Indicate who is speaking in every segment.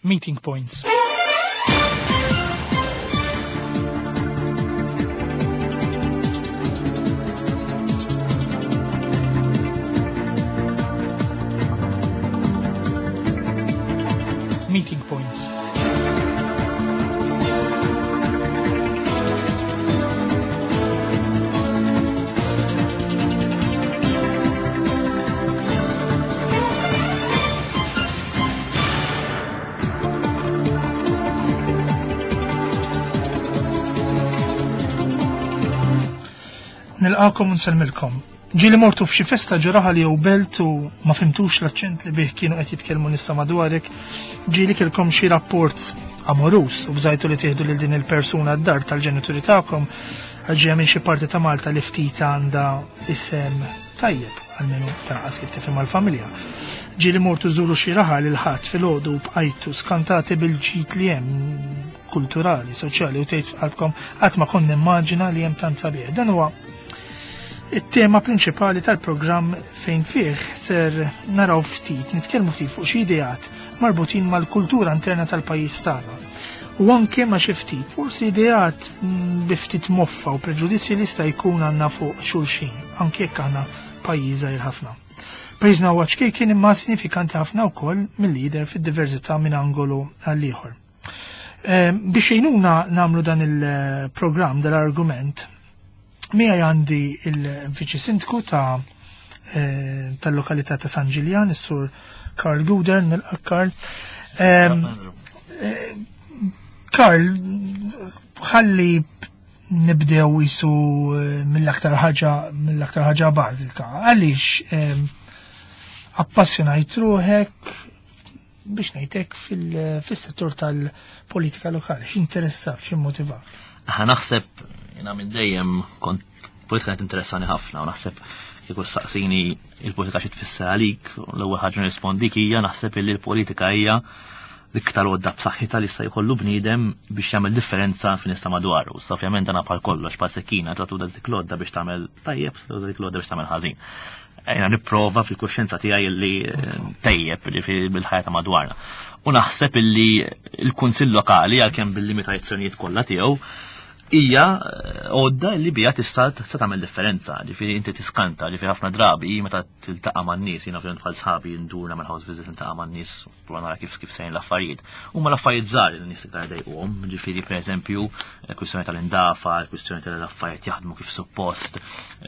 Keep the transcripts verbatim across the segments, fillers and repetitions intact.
Speaker 1: Meeting Points. Meeting Points. Nilqakom u nsellmilkom. Ġieli mortu f'xi festa ġo raħal jew belt u ma fimtux l-aċċent li bih kienu qed jitkellmu nisa madwarek, ġieli kellkom xi rapport amorus u bżajtu li tieħdu lil din il-persuna d-dar tal-ġenituri tagħkom għal ġejja minn xi parti ta' Malta li ftit għandha isem tajjeb, almenu tanqas kif tifhem għall-familja. Ġieli mortu żuru xi raħal il-Ħadd filgħodu u bqajtu skantati bil-ġid li hemm kulturali, soċjali u tgħid f'qalbkom qatt ma kont nimmaġina li hemm tant sabiħ. Dan huwa it-tema prinċipali tal-programm fejn fih ser naraw ftit, nitkellmu ftit fuq xi ideat marbutin mal-kultura interna tal-pajjiż tagħna. U anke ma xi ftit, forsi ideat bi ftit moffa u preġudizzji li jista' jkun għandna fuq xulxin, anke jekk aħna pajjiż żgħir ħafna. Pajjiżna huwa ċkejken imma sinifikanti ħafna wkoll mill-lider fid-diversità minn angolu għal ieħor. Biex jgħinuna nagħmlu dan il-programm, dal-argument, miegħi għandi il-Viċi Sindku ta' tal-lokalità ta' San Ġiljan, is-Sur Karl Guder, nilqa' Karl. Karl, ħalli nibdew jisu mill-aktar ħaġa mill-aktar ħaġa bażika. Għaliex appassjonajt ruħek biex ngħidlek fis-settur tal-politika lokali, x'interessak, x'immotivak?
Speaker 2: Aħna naħseb jiena minn dejjem kont politika kienet interessani ħafna u naħseb kieku saqsini il-politika xi tfisser għalik, l-ewwel ħaġa nirrispondik hija naħseb illi l-politika hija l-iktar għodda b'saħħitha li jista' jkollu bniedem biex jagħmel differenza fin nista' madwaru. Issa ovvjament dan bħal kollox bħal sekkina tagħtu dik l-għodda biex tagħmel tajjeb, tagħtu dik l-għodda biex tagħmel ħażin. Jiena nipprova fil-kuxjenza tiegħi li tejjeb li bil-ħajja ta' madwarna. U naħseb illi l-Kunsill Lokali għalkemm bil-limitazzjonijiet kollha tiegħu hija għodda li bija tista' tista' tagħmel differenza, ġifieri inti tiskanta, ġifieri ħafna drabi meta tiltaqa' man-nies, jiena ovvjament bħal sħabi ndur nagħmel house visit niltaqa' man-nies u nara kif kif sejn l-affarijiet. Huma l-affarijiet żgħar li n-nies iktar jdejquhom, ġifieri pereżempju kwistjoni tal-indafa, kwistjoni tal-affarijiet jaħdmu kif suppost,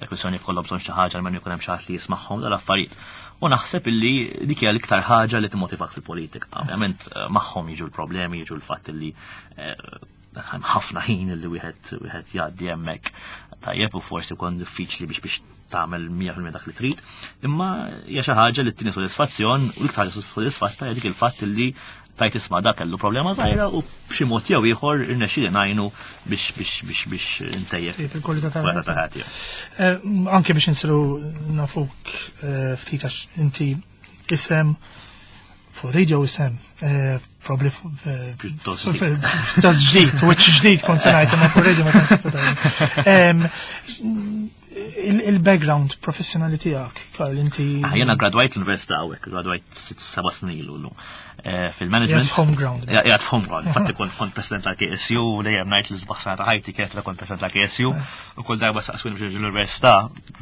Speaker 2: kwistjoni jkollhom bżonn xi ħaġa almenu jkun hemm xi ħadd li jismagħhom dal-affarijiet. U naħseb illi dik hija l-iktar ħaġa li timmotivak fil-politika. Ovvjament magħhom jiġu l-problemi, jiġu l-fatt illi ħafna ħin li wieħed wieħed jgħaddi hemmhekk tajjeb u forsi jkun diffiċli biex biex tagħmel mija fil-mija dak li trid, imma hija xi ħaġa li tini sodisfazzjon u l-iktar sodisfatta hija dik il-fatt li tajt isma' dak kellu problema żgħira u b'xi mod jew ieħor irnexxieli ngħinu biex biex biex biex ntejjeb
Speaker 1: il-kwalità
Speaker 2: tal-ħajja.
Speaker 1: Anke biex insiru nafuk ftit għax inti isem fuq radio isem, probably
Speaker 2: pjuttost
Speaker 1: ġdid, wiċċ ġdid kont se ngħid imma fuq radio ma tantx tista' tgħid. Il-background professjonali tiegħek, Karl, inti.
Speaker 2: Jiena gradwajt l-università hawnhekk, gradwajt sitt seba' snin ilu llum. Fil-management.
Speaker 1: Qiegħed f'home ground.
Speaker 2: Qiegħed f'home ground. Infatti kont kont president tal-K S U, dejjem ngħid li sbaħ sena ta' ħajti kienet kont president tal-K S U, u kull darba saqsuni biex l-università,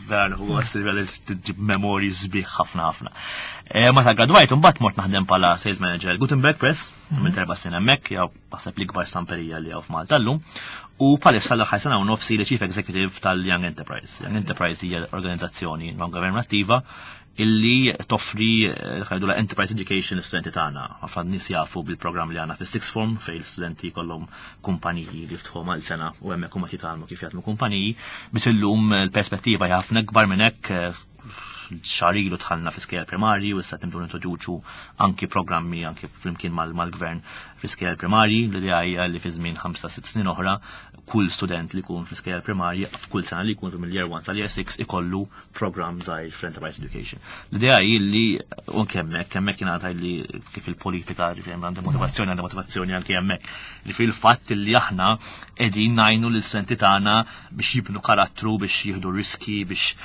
Speaker 2: vera nieħu gost li tġib memorji sbieħ ħafna ħafna. Meta gradwajt imbagħad mort naħdem bħala sales manager Gutenberg Press, minn erba' snin hemmhekk, jew naħseb l-ikbar stamperija li hawn f'Malta llum. U bħalissa l-aħħar sena u nofsi li Chief Executive tal-Young Enterprise. Young Enterprise hija organizzazzjoni non-governattiva illi toffri ħajdu la Enterprise Education l-studenti tagħna. Ħafna nies jafu bil-programm li għandna fis-sixth form fejn l-studenti kollhom kumpaniji li jiftħu mal sena u hemmhekk huma jitgħallmu kif jaħdmu kumpaniji, biss illum l-perspettiva hija ħafna ikbar minn hekk. Xahar ilu dħalna fi skejjel primarji u issa tibdu nintroduċu anki programmi anki flimkien mal-gvern fi skejjel primarji. L-idea hija li fi żmien ħamsa sitt snin oħra kull student li jkun fi skejjel primarji f'kull sena li jkun mill-year one sal-year six ikollu programm żgħir fl-Enterprise Education. L-idea hi li anke hemmhekk hemmhekk jingħata li kif il-politika ġifieri għandha motivazzjoni, għandha motivazzjoni anke hemmhekk. Li fil-fatt li aħna qegħdin ngħinu lill-studenti tagħna biex jibnu karattru, biex jieħdu riski, biex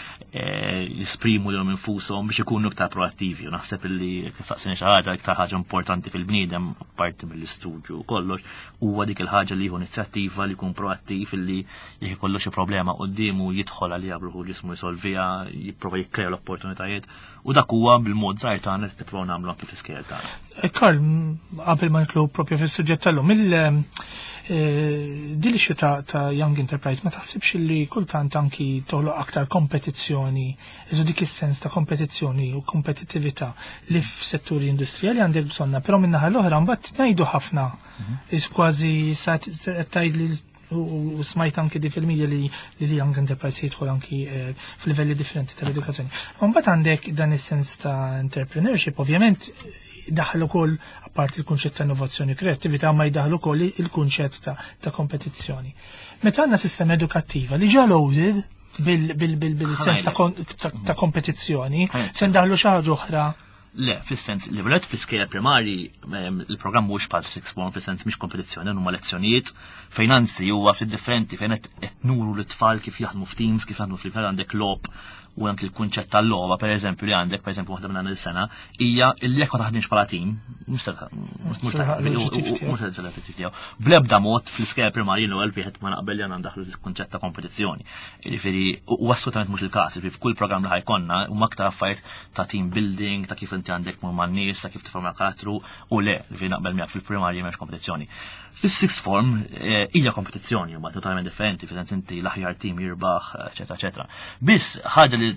Speaker 2: jisprimu jifhmu lilhom infushom biex ikunu iktar proattivi. U naħseb illi saqsini xi ħaġa, iktar ħaġa importanti fil-bniedem, apparti mill-istudju u kollox, huwa dik il-ħaġa li jieħu inizjattiva, li jkun proattiv, illi jekk ikollu xi problema quddiemu jidħol għaliha b'ruħu ġismu, jsolviha, jipprova jikkrea l-opportunitajiet, u dak huwa bil-mod żgħir tagħna li tippruvaw nagħmlu anki fl-iskejjel tagħna.
Speaker 1: Eh, Karl, qabel ma nidħlu propju fis-suġġett tal-lum, il eh, din l ta' ta' Young Enterprise ma taħsibx li kultant anki toħloq aktar kompetizzjoni, iżu dik is-sens ta' kompetizzjoni u kompetittività li f'setturi industrijali għandek bżonna, però min-naħa l-oħra mbagħad ngħidu ħafna, is kważi sa tgħid li u u smajt anki di fil-media li li li Young Enterprise jidħol anki eh, f'livelli differenti tal-edukazzjoni. Mbagħad għandek dan is-sens ta' entrepreneurship, ovvjament daħlu ukoll apparti il-kunċett ta' innovazzjoni, kreattività, ma jdaħlu ukoll il-kunċett ta', ta' kompetizzjoni. Meta għandna sistema edukattiva li ġa loaded bil- bil- bil- bil-sens ta', kon- ta, ta' kompetizzjoni, se ndaħlu xi ħaġa oħra?
Speaker 2: Le, fis-sens li velet fl-iskejjel primari em, il-programm mhux bħal sixth form, fis-sens mhix kompetizzjoni, huma lezzjonijiet fejn anzi huwa ftit differenti, fejn qed qed nuru l-tfal kif jaħdmu f'teams, kif jaħdmu fil għandek logħob u anki l-kunċett tal-logħba, pereżempju, li għandek, pereżempju, waħda minn il-sena hija li jekk ma taħdimx bħala team, mhux se mhux
Speaker 1: Se l-oġġettiv tiegħek.
Speaker 2: mhux se l-oġġettiv tiegħu. Bl-ebda mod fl-iskejjel primarji l-ewwel wieħed ma naqbel li għandna ndaħlu l-kunċett ta' kompetizzjoni. Jiġifieri u assolutament mhux il-każ, jiġifieri f'kull programm li ħa jkollna huma aktar affarijiet ta' team building, ta' kif inti għandek tmur man-nies, ta' kif tifforma karattru u le, jiġifieri naqbel miegħek, fil-primarji m'hemmx kompetizzjoni. Fis-sixth form eh, hija kompetizzjoni, huma totalment differenti, fil-sens inti l-aħjar team jirbaħ, eċetera, eċetera. Biss ħaġa li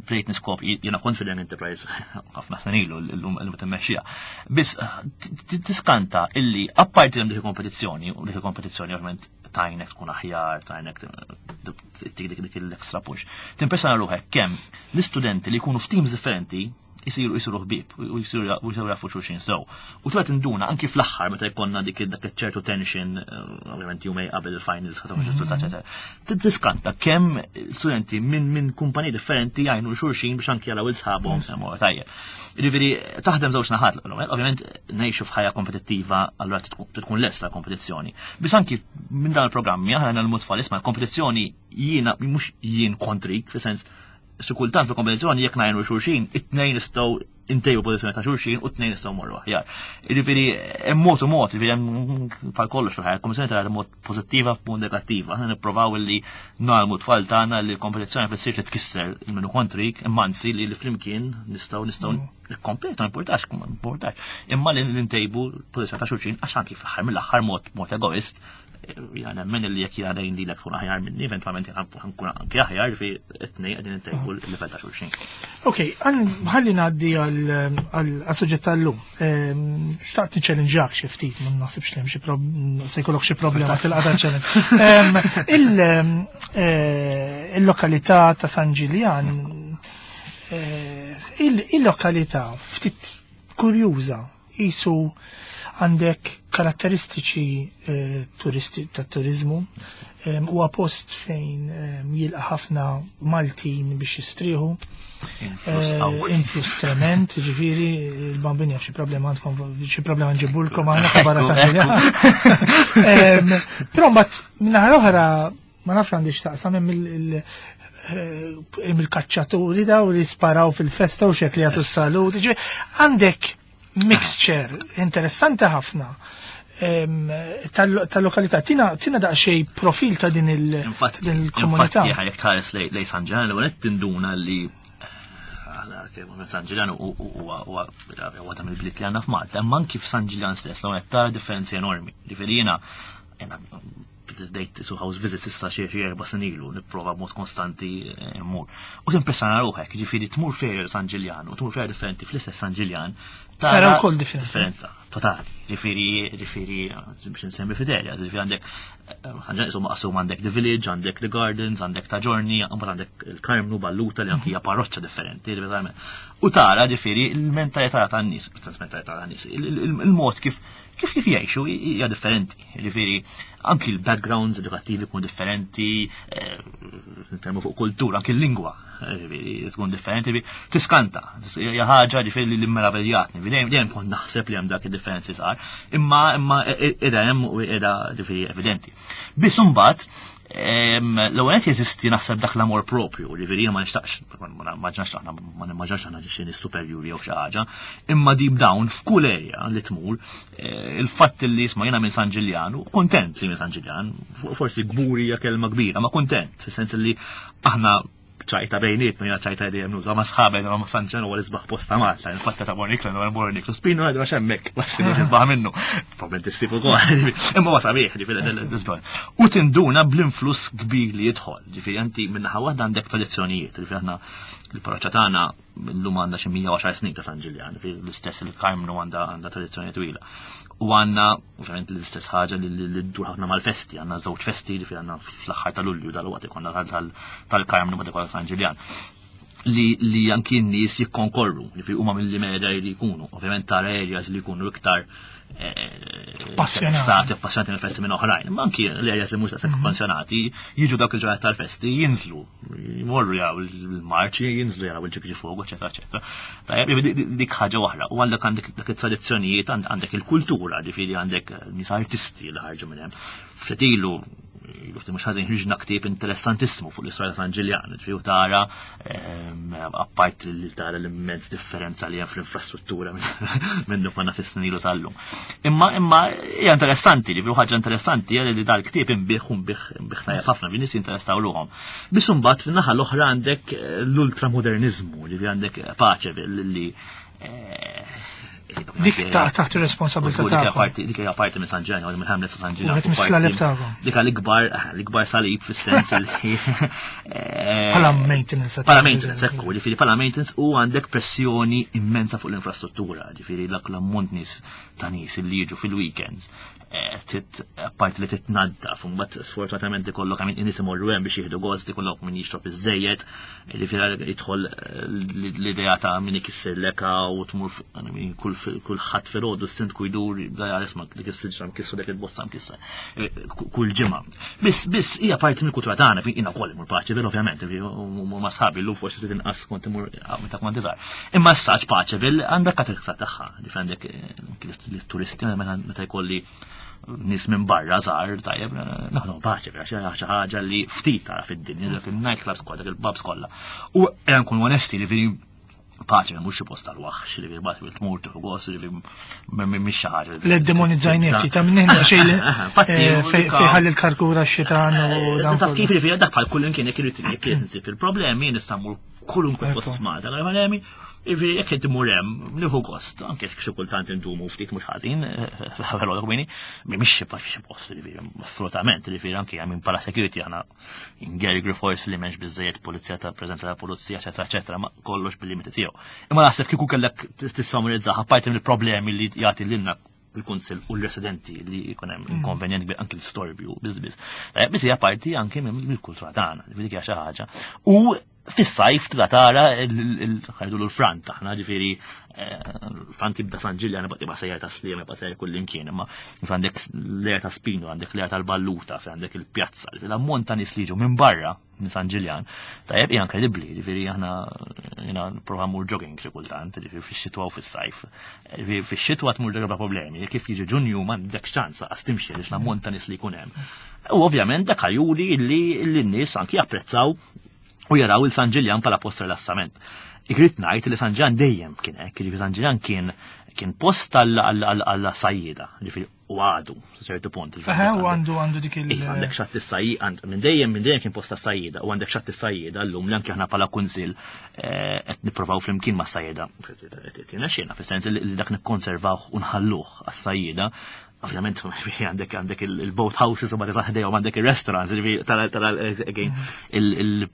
Speaker 2: bdejt niskop, jiena kont fil Enterprise ħafna snin ilu, l-lum l timmexxija. Biss eh, tiskanta illi apparti hemm dik il-kompetizzjoni, u dik il-kompetizzjoni ovvjament tgħinek tkun aħjar, tgħinek dik dik dik l-extra push. Timpressjona ruħek kemm l-istudenti li jkunu f'teams differenti jisiru jisiru ħbieb u jisiru u jisiru jafu xulxin sew. U twet induna anki fl-aħħar meta jkollna dik dak ċertu tension, eh, ovvjament jumejn qabel il-finals ħadd riżultat, eċetera. Tiskanta kemm studenti minn minn kumpaniji differenti jgħinu xulxin biex anki jaraw il-sħabhom semmu tajjeb. Jiġifieri taħdem żewġ naħat, ovvjament ngħixu f'ħajja kompetittiva, allura tkun lesta kompetizzjoni. Biss anki minn dan il-programmi aħna nagħmlu tfal, isma', kompetizzjoni jiena mhux jien kontrik, fis-sens xi kultant fil-kompetizzjoni jekk ngħinu xulxin, it-tnejn nistgħu intejbu pożizzjoni ta' xulxin u t-tnejn nistgħu morru aħjar. Jiġifieri hemm mod u mod, jiġifieri hemm bħal kollox fil-ħajja, kompetizzjoni tara mod pożittiva, mod negattiva. Aħna nipprovaw li nagħmlu tfal tagħna li l-kompetizzjoni fissir li tkisser il-minu kontrik, imma anzi li li flimkien nistgħu nistgħu nikkompetu, ma importax, ma importax. Imma li ntejbu pożizzjoni ta' xulxin għax anki fl-aħħar mill-aħħar mod mod egoist jana nemmen li jekk jana li l tkun aħjar minni, eventualment tkun anki aħjar fi it-tnejn qegħdin intejbu l-livell ta' xulxin.
Speaker 1: Ok, ħalli ngħaddi għal-suġġett tal-lum. Ehm, xtaqt niċċellinġak xi ftit, ma naħsibx li hemm xi se jkollok xi problema tilqa' challenge. Ehm, eh, il-lokalità ta' San Ġiljan, eh, il-lokalità ftit kurjuża, jisu għandek karatteristiċi eh, turisti ta' turizmu, huwa post fejn jilqa' ħafna Maltin biex jistrieħu. Influss trement, ġifieri, il-Bambin jaf xi problema għandkom, xi problema nġibulkom għandna ta' barra San Ġiljan. Però mbagħad min-naħa l-oħra ma nafx għandi x'taqsam, hemm il-kaċċaturi daw li sparaw fil-festa u xek li jagħtu s-salut. Għandek mixture interessanti ħafna tal-lokalità. Tina tina daqsxejn profil ta' din il-komunità.
Speaker 2: Infatti, jekk tħares lejn San Ġiljan, l tinduna li San Ġiljan huwa ta' mill-bliet li għandna f'Malta, imma anki f'San Ġiljan stess, l tara differenzi enormi. Ġifieri jiena bdejt su house visits issa xi erba' snin ilu, nipprova b'mod konstanti mmur. U timpressjona ruħek, ġifieri tmur fejn San Ġiljan u tmur fejn differenti fl-istess San Ġiljan.
Speaker 1: Tara wkoll differenza.
Speaker 2: Differenza totali. Ġifieri, ġifieri biex nsemmi f'idea, ġifieri għandek San Ġiljan maqsum, għandek The Village, għandek The Gardens, għandek Ta' Ġiorni, mbagħad għandek il-Karmnu, Balluta li anki hija parroċċa differenti. U tara ġifieri il-mentalità tan-nies, mentalità tan-nies, il-mod kif kif kif jgħixu hija differenti. Ġifieri anki l-backgrounds edukattivi jkunu differenti, nitkellmu fuq kultura, anki l-lingwa tkun differenti, tiskanta. Hija ħaġa ġifieri li meravigliatni. Dejjem dejjem kont naħseb li hemm dak id-differenzi żgħar, imma imma qiegħda hemm u qiegħda ġifieri evidenti. Biss imbagħad L-ewwel qed jeżisti naħseb dak l-amor propju, ġifieri ma nixtaqx, ma ġnax aħna ma nimmaġinax aħna xi superjuri jew xi ħaġa, imma deep down f'kull area li tmur, eh, il-fatt li isma' jiena minn San Ġiljan, u kontent li minn San Ġiljan, forsi kburi hija kelma kbira, ma kontent, fis-sens li aħna ċajta bejnietna, jiena ċajta dejjem nuża ma' sħabi ma' San Ġiljan huwa l-isbaħ post ta' Malta, infatti ta' Borniklu, għal Borniklu, Spinu għadu għax hemmhekk, massimu isbaħ minnu. Probabbilment issib ukoll, imma huwa sabiħ, ġifieri l-isbaħ. U tinduna bl-influss kbir li jidħol, ġifieri inti minnaħa waħda għandek tradizzjonijiet, ġifieri aħna il-parroċċa tagħna llum għandha xi mija u għaxar snin ta' San Ġiljan, ġifieri l-istess il-Karmnu għandha għandha tradizzjoni twila. U għandna, ovvjament, l-istess ħaġa li ddur ħafna mal-festi, għandna żewġ festi li għandna fl-aħħar ta' Lulju dal-waqt ikollna tal-Karmnu ma ikollna San Ġiljan. Li, li anki n-nies jikkonkorru, li fi huma mill-li li jkunu, ovvjament tara areas li jkunu iktar
Speaker 1: Passjonati.
Speaker 2: Appassionati mill-festi minn oħrajn. Ma anki l-areas li mhux daqshekk appassionati jiġu dawk il-ġranet tal-festi, jinżlu, jmorru jaraw il-marċi, jinżlu jaraw il-ġiġi fuq, eċetera, eċetera. Tajjeb, dik ħaġa oħra. U għandek għandek dak it-tradizzjonijiet, għandek il-kultura, ġifieri għandek nies artisti li ħarġu minn hemm. Ftit ilu, ilu mhux ħażin, ħriġna ktieb interessantissimu fuq l-istorja ta' San Ġiljan, ġifieri tara, apart li tara l-immens differenza li hemm fl-infrastruttura minn konna fis-snin ilu sal-lum. Imma imma hija interessanti, li ħaġa interessanti hija li dal-ktieb inbiegħ u nbiegħ nbiegħ tajjeb ħafna, bin nies jinteressaw ruhom. Biss imbagħad fin-naħa l-oħra għandek l-ultramodernizmu, li għandek Paċeville li
Speaker 1: Dik taħt ir-responsabilità
Speaker 2: tagħkom. Dik hija parti minn San Ġiljan, minn Hamlet San Ġiljan.
Speaker 1: Wieħed mis-slaleb tagħkom.
Speaker 2: Dik l-ikbar l-ikbar salib fis-sens li
Speaker 1: Bħala maintenance.
Speaker 2: Bħala maintenance, ekku, ġifieri bħala maintenance u għandek pressjoni immensa fuq l-infrastruttura, ġifieri dak l-ammont nies ta' nies li jiġu fil-weekends. Apparti li titnaddaf, mbagħad sfortunatament ikollok għamin in-nies imorru hemm biex jieħdu gost, ikollok min jixrob iż-żejjed, ġifieri jidħol l-idea ta' min ikisser leka u tmur kull ħadd filgħodu s-sindku jdur jibda jara isma' dik is-siġra mkissru, dik il-bozza mkissra kull ġimgħa. Biss biss hija parti mill-kultura tagħna, jiena wkoll imur Paċeville ovvjament, u ma' sħabi llum forsi trid inqas kont imur meta kont iżgħar. Imma s-saġ Paċeville għandha karakteristika tagħha, ġifieri għandek l-turisti meta jkolli nies minn barra żgħar, tajjeb, naħdu Paċeville għax xi ħaġa li ftit tara fid-dinja, dak il-nightclubs kollha, dak il-pubs kollha. U ejja nkunu onesti li fi Paċeville mhux xi post tal-waħx, li fi Paċeville tmur tieħu gost, li mhix xi ħaġa.
Speaker 1: Le demonizzajni ftit ta' minn xejn fejn ħalli l-karkura x-xitan u dan.
Speaker 2: Taf kif li fi dak bħal kull imkien jekk irid jekk insib il-problemi nista' mmur kulunkwe post Malta, problemi. Ivi, jekk qed imur hemm, nieħu gost, anke xi kultant indumu ftit mhux ħażin, ħavellu kmini, mhix xi xi post, ġifieri, assolutament, ġifieri anke minn bħala security aħna in Gary Force li m'hemmx biżejjed pulizija ta' preżenza ta' pulizija, eċetera, eċetera, ma kollox bil-limiti tiegħu. Imma naħseb kieku kellek tissummarizzah apparti mill-problemi li jagħti lilna il-kunsill u l-residenti li jkun hemm inkonvenjent kbir anke l-istorbju biss biss. Biss hija parti anke mill-kultura tagħna, dik hija xi ħaġa. U fis-sajf tibda tara ħajdu l-frant aħna, ġifieri frant jibda San Ġiljan, jibqa' sejjer ta' Sliema, jibqa' sejjer kull imkien, imma għandek l-area ta' Spinu, għandek l-area tal-Balluta, fejn għandek il-pjazza, l-ammont ta' nies li jiġu minn barra minn San Ġiljan, tajjeb hija inkredibbli, ġifieri aħna jiena nipprova mmur jogging xi kultant, ġifieri fix-xitwa u fis-sajf. Ġifieri fix-xitwa tmur bla problemi, kif jiġi Ġunju m'għandek ċans qas timxi għaliex l-ammont ta' nies li jkun hemm. U ovvjament dak juri li n-nies anki japprezzaw u jaraw il-San Ġiljan bħala post rilassament. Irrid ngħid li San Ġiljan dejjem kien hekk, jiġifieri San Ġiljan kien kien post għall-sajjieda, ġifieri u għadu, ċertu punt.
Speaker 1: Eħe, u għandu għandu dik il-
Speaker 2: Iva, għandek xatt is-sajjieda, minn dejjem minn dejjem kien post tas-sajjieda, u għandek xatt is-sajjieda llum li anke aħna bħala kunsill qed nippruvaw flimkien mas-sajjieda. Tina xena, fis-sens li dak nikkonservaw u nħalluh għas-sajjieda. Ovvjament, għandek għandek il-boat houses u ma tisaħdejhom għandek il-restaurants, ġifieri tara tara again il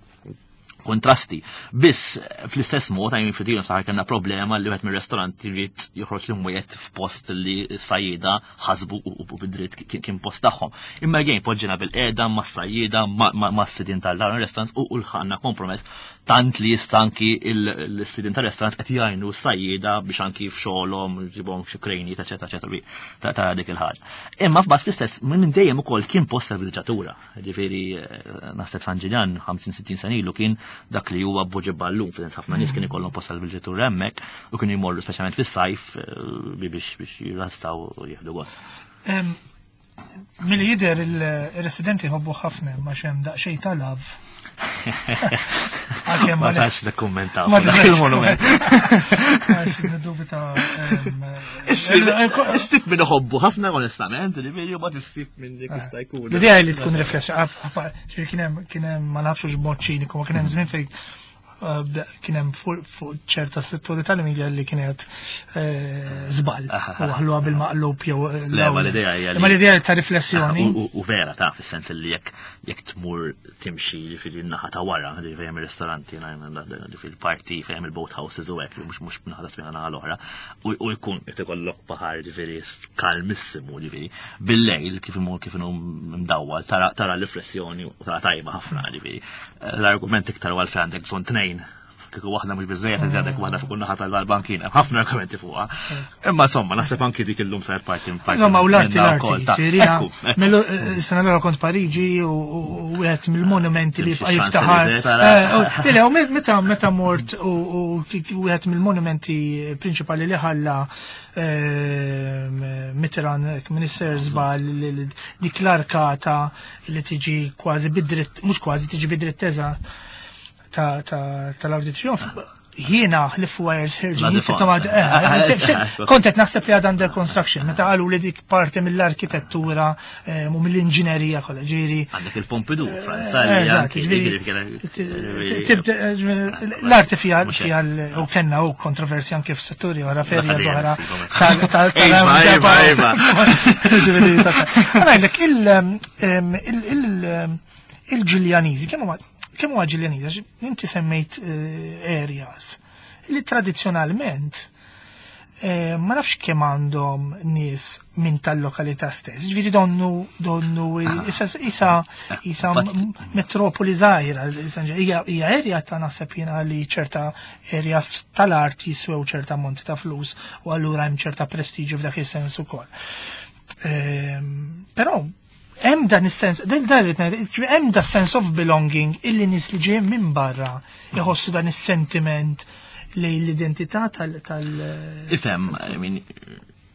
Speaker 2: kontrasti. Biss fl-istess mod għajmin fidilhom saħar kellna problema li wieħed mir-restorant jrid joħroġ l-imwiet f'post li s-sajjieda ħasbu u bid-dritt kien post tagħhom. Imma again poġġina bil-qiegħda mas-sajjieda mas-sidien tal-restaurants u lħaqna kompromess tant li jista' anki l-sidien tal-restaurants qed jgħinu s-sajjieda biex anki f'xogħolhom jġibhom xi krejnijiet, eċetera, eċetera, ta' dik il-ħaġa. Imma f'bad fl-istess minn dejjem ukoll kien post tal-vilġatura. Ġifieri naħseb San Ġiljan ħamsin sittin sena ilu kien dak li huwa Buġibba llum, fil-sens ħafna nies kien ikollhom post tal-vilġatura hemmhekk u kienu jmorru speċjalment fis-sajf biex biex jirrassaw u jieħdu gost.
Speaker 1: Milli jidher il-residenti jħobbu ħafna ma xem daqsxejn ta' love. Għalkemm
Speaker 2: Ma
Speaker 1: ma
Speaker 2: tax nikkummentaw
Speaker 1: Ma
Speaker 2: fuq dak
Speaker 1: tistax
Speaker 2: il-monument.
Speaker 1: Għax niddubita. ehm,
Speaker 2: Issib minn iħobbu ħafna onestament, ġifieri ma tissib minn dik jista' jkun.
Speaker 1: L-idea li tkun riflessa, ġifieri kien hemm kien hemm ma nafx b'mod ċiniku, ma kien hemm żmien fejn eh, bda- kien hemm fuq fuq ċerta setturi tal-media li kienet eh, żball u ħalluha bil-maqlub jew eh,
Speaker 2: Le, ma l-idea hija li-
Speaker 1: Ma l-idea ta' riflessjoni.
Speaker 2: U- U u vera ta' fis-sens li jekk jekk tmur timxi ġifieri n-naħa ta' wara, ġifieri fejn hemm ir-ristoranti, ġifieri il-parti fejn hemm il-boat houses u hekk, mhux mhux naħa ta' spina naħa l-oħra, u u jkun qed ikollok baħar ġifieri kalmissimu ġifieri. Bil-lejl kif imur kif inhu mdawwal tara tara l-riflessjoni u tara tajba ħafna ġifieri. L-argument iktar għal fejn għandek bżonn tnejn kieku waħda mhux biżejjed inti għandek waħda fuq naħa tal-bankina, ħafna argumenti fuqha. Imma insomma, naħseb anki dik illum saret parti parti
Speaker 1: Insomma, u l-arti
Speaker 2: minnha
Speaker 1: l-arti.
Speaker 2: wkoll ta'
Speaker 1: ġifieri,
Speaker 2: Ekku, ekku.
Speaker 1: Melu, eh, sena l kont Pariġi u u wieħed mill-monumenti li
Speaker 2: Timxi
Speaker 1: jibqa' jiftaħar.
Speaker 2: Champs-Élysées, tara.
Speaker 1: Eh, u- Le, u meta meta mort u u wieħed mill-monumenti prinċipali li ħalla eh, Mitterrand, Minister żball, dik l-arkata li tiġi kważi bidritt, mhux kważi tiġi bidritt eżatt ta' ta' tal-Arc de Triomphe. Jiena ħlif wires
Speaker 2: La
Speaker 1: ħirġin,
Speaker 2: Défense.
Speaker 1: kont qed naħseb li għad under construction, meta qalu li dik parti mill-arkitettura eh, u mill-inġinerija kollha, ġieri.
Speaker 2: Għandek il-Pompidou, Franza,
Speaker 1: Eh,
Speaker 2: li
Speaker 1: eżatt,
Speaker 2: anki
Speaker 1: ġifieri,
Speaker 2: ġifieri-
Speaker 1: tibda- eh, ġifieri, L-arti fija
Speaker 2: Mhux
Speaker 1: fija l- u kenna u kontroversja anke f'setturi oħra ferja
Speaker 2: Dak
Speaker 1: oħra
Speaker 2: għadija
Speaker 1: tal- tal- tal-
Speaker 2: Iva, iva, iva.
Speaker 1: Ġifieri, ta' ta' Ngħidlek, il- em, il- il- il-Ġiljaniżi, kemm huma kemm huwa Ġiljaniżi? Għax inti semmejt eh, areas li tradizzjonalment eh, ma nafx kemm għandhom nies minn tal-lokalità stess. Ġifieri donnu donnu isa isa isa
Speaker 2: Fatt-
Speaker 1: m- metropoli żgħira, issa hija hija area ta' naħseb jiena li ċerta areas tal-art jiswew ċerta monti ta' flus u allura hemm ċerta prestiġju f'dak is-sens ukoll. Ehm, Però hemm dan is-sens, dan dan irrid ngħid, ġifieri hemm da sense of belonging illi nies li ġejjin minn barra jħossu dan is-sentiment lejn l-identità tal tal
Speaker 2: Ifhem, I mean,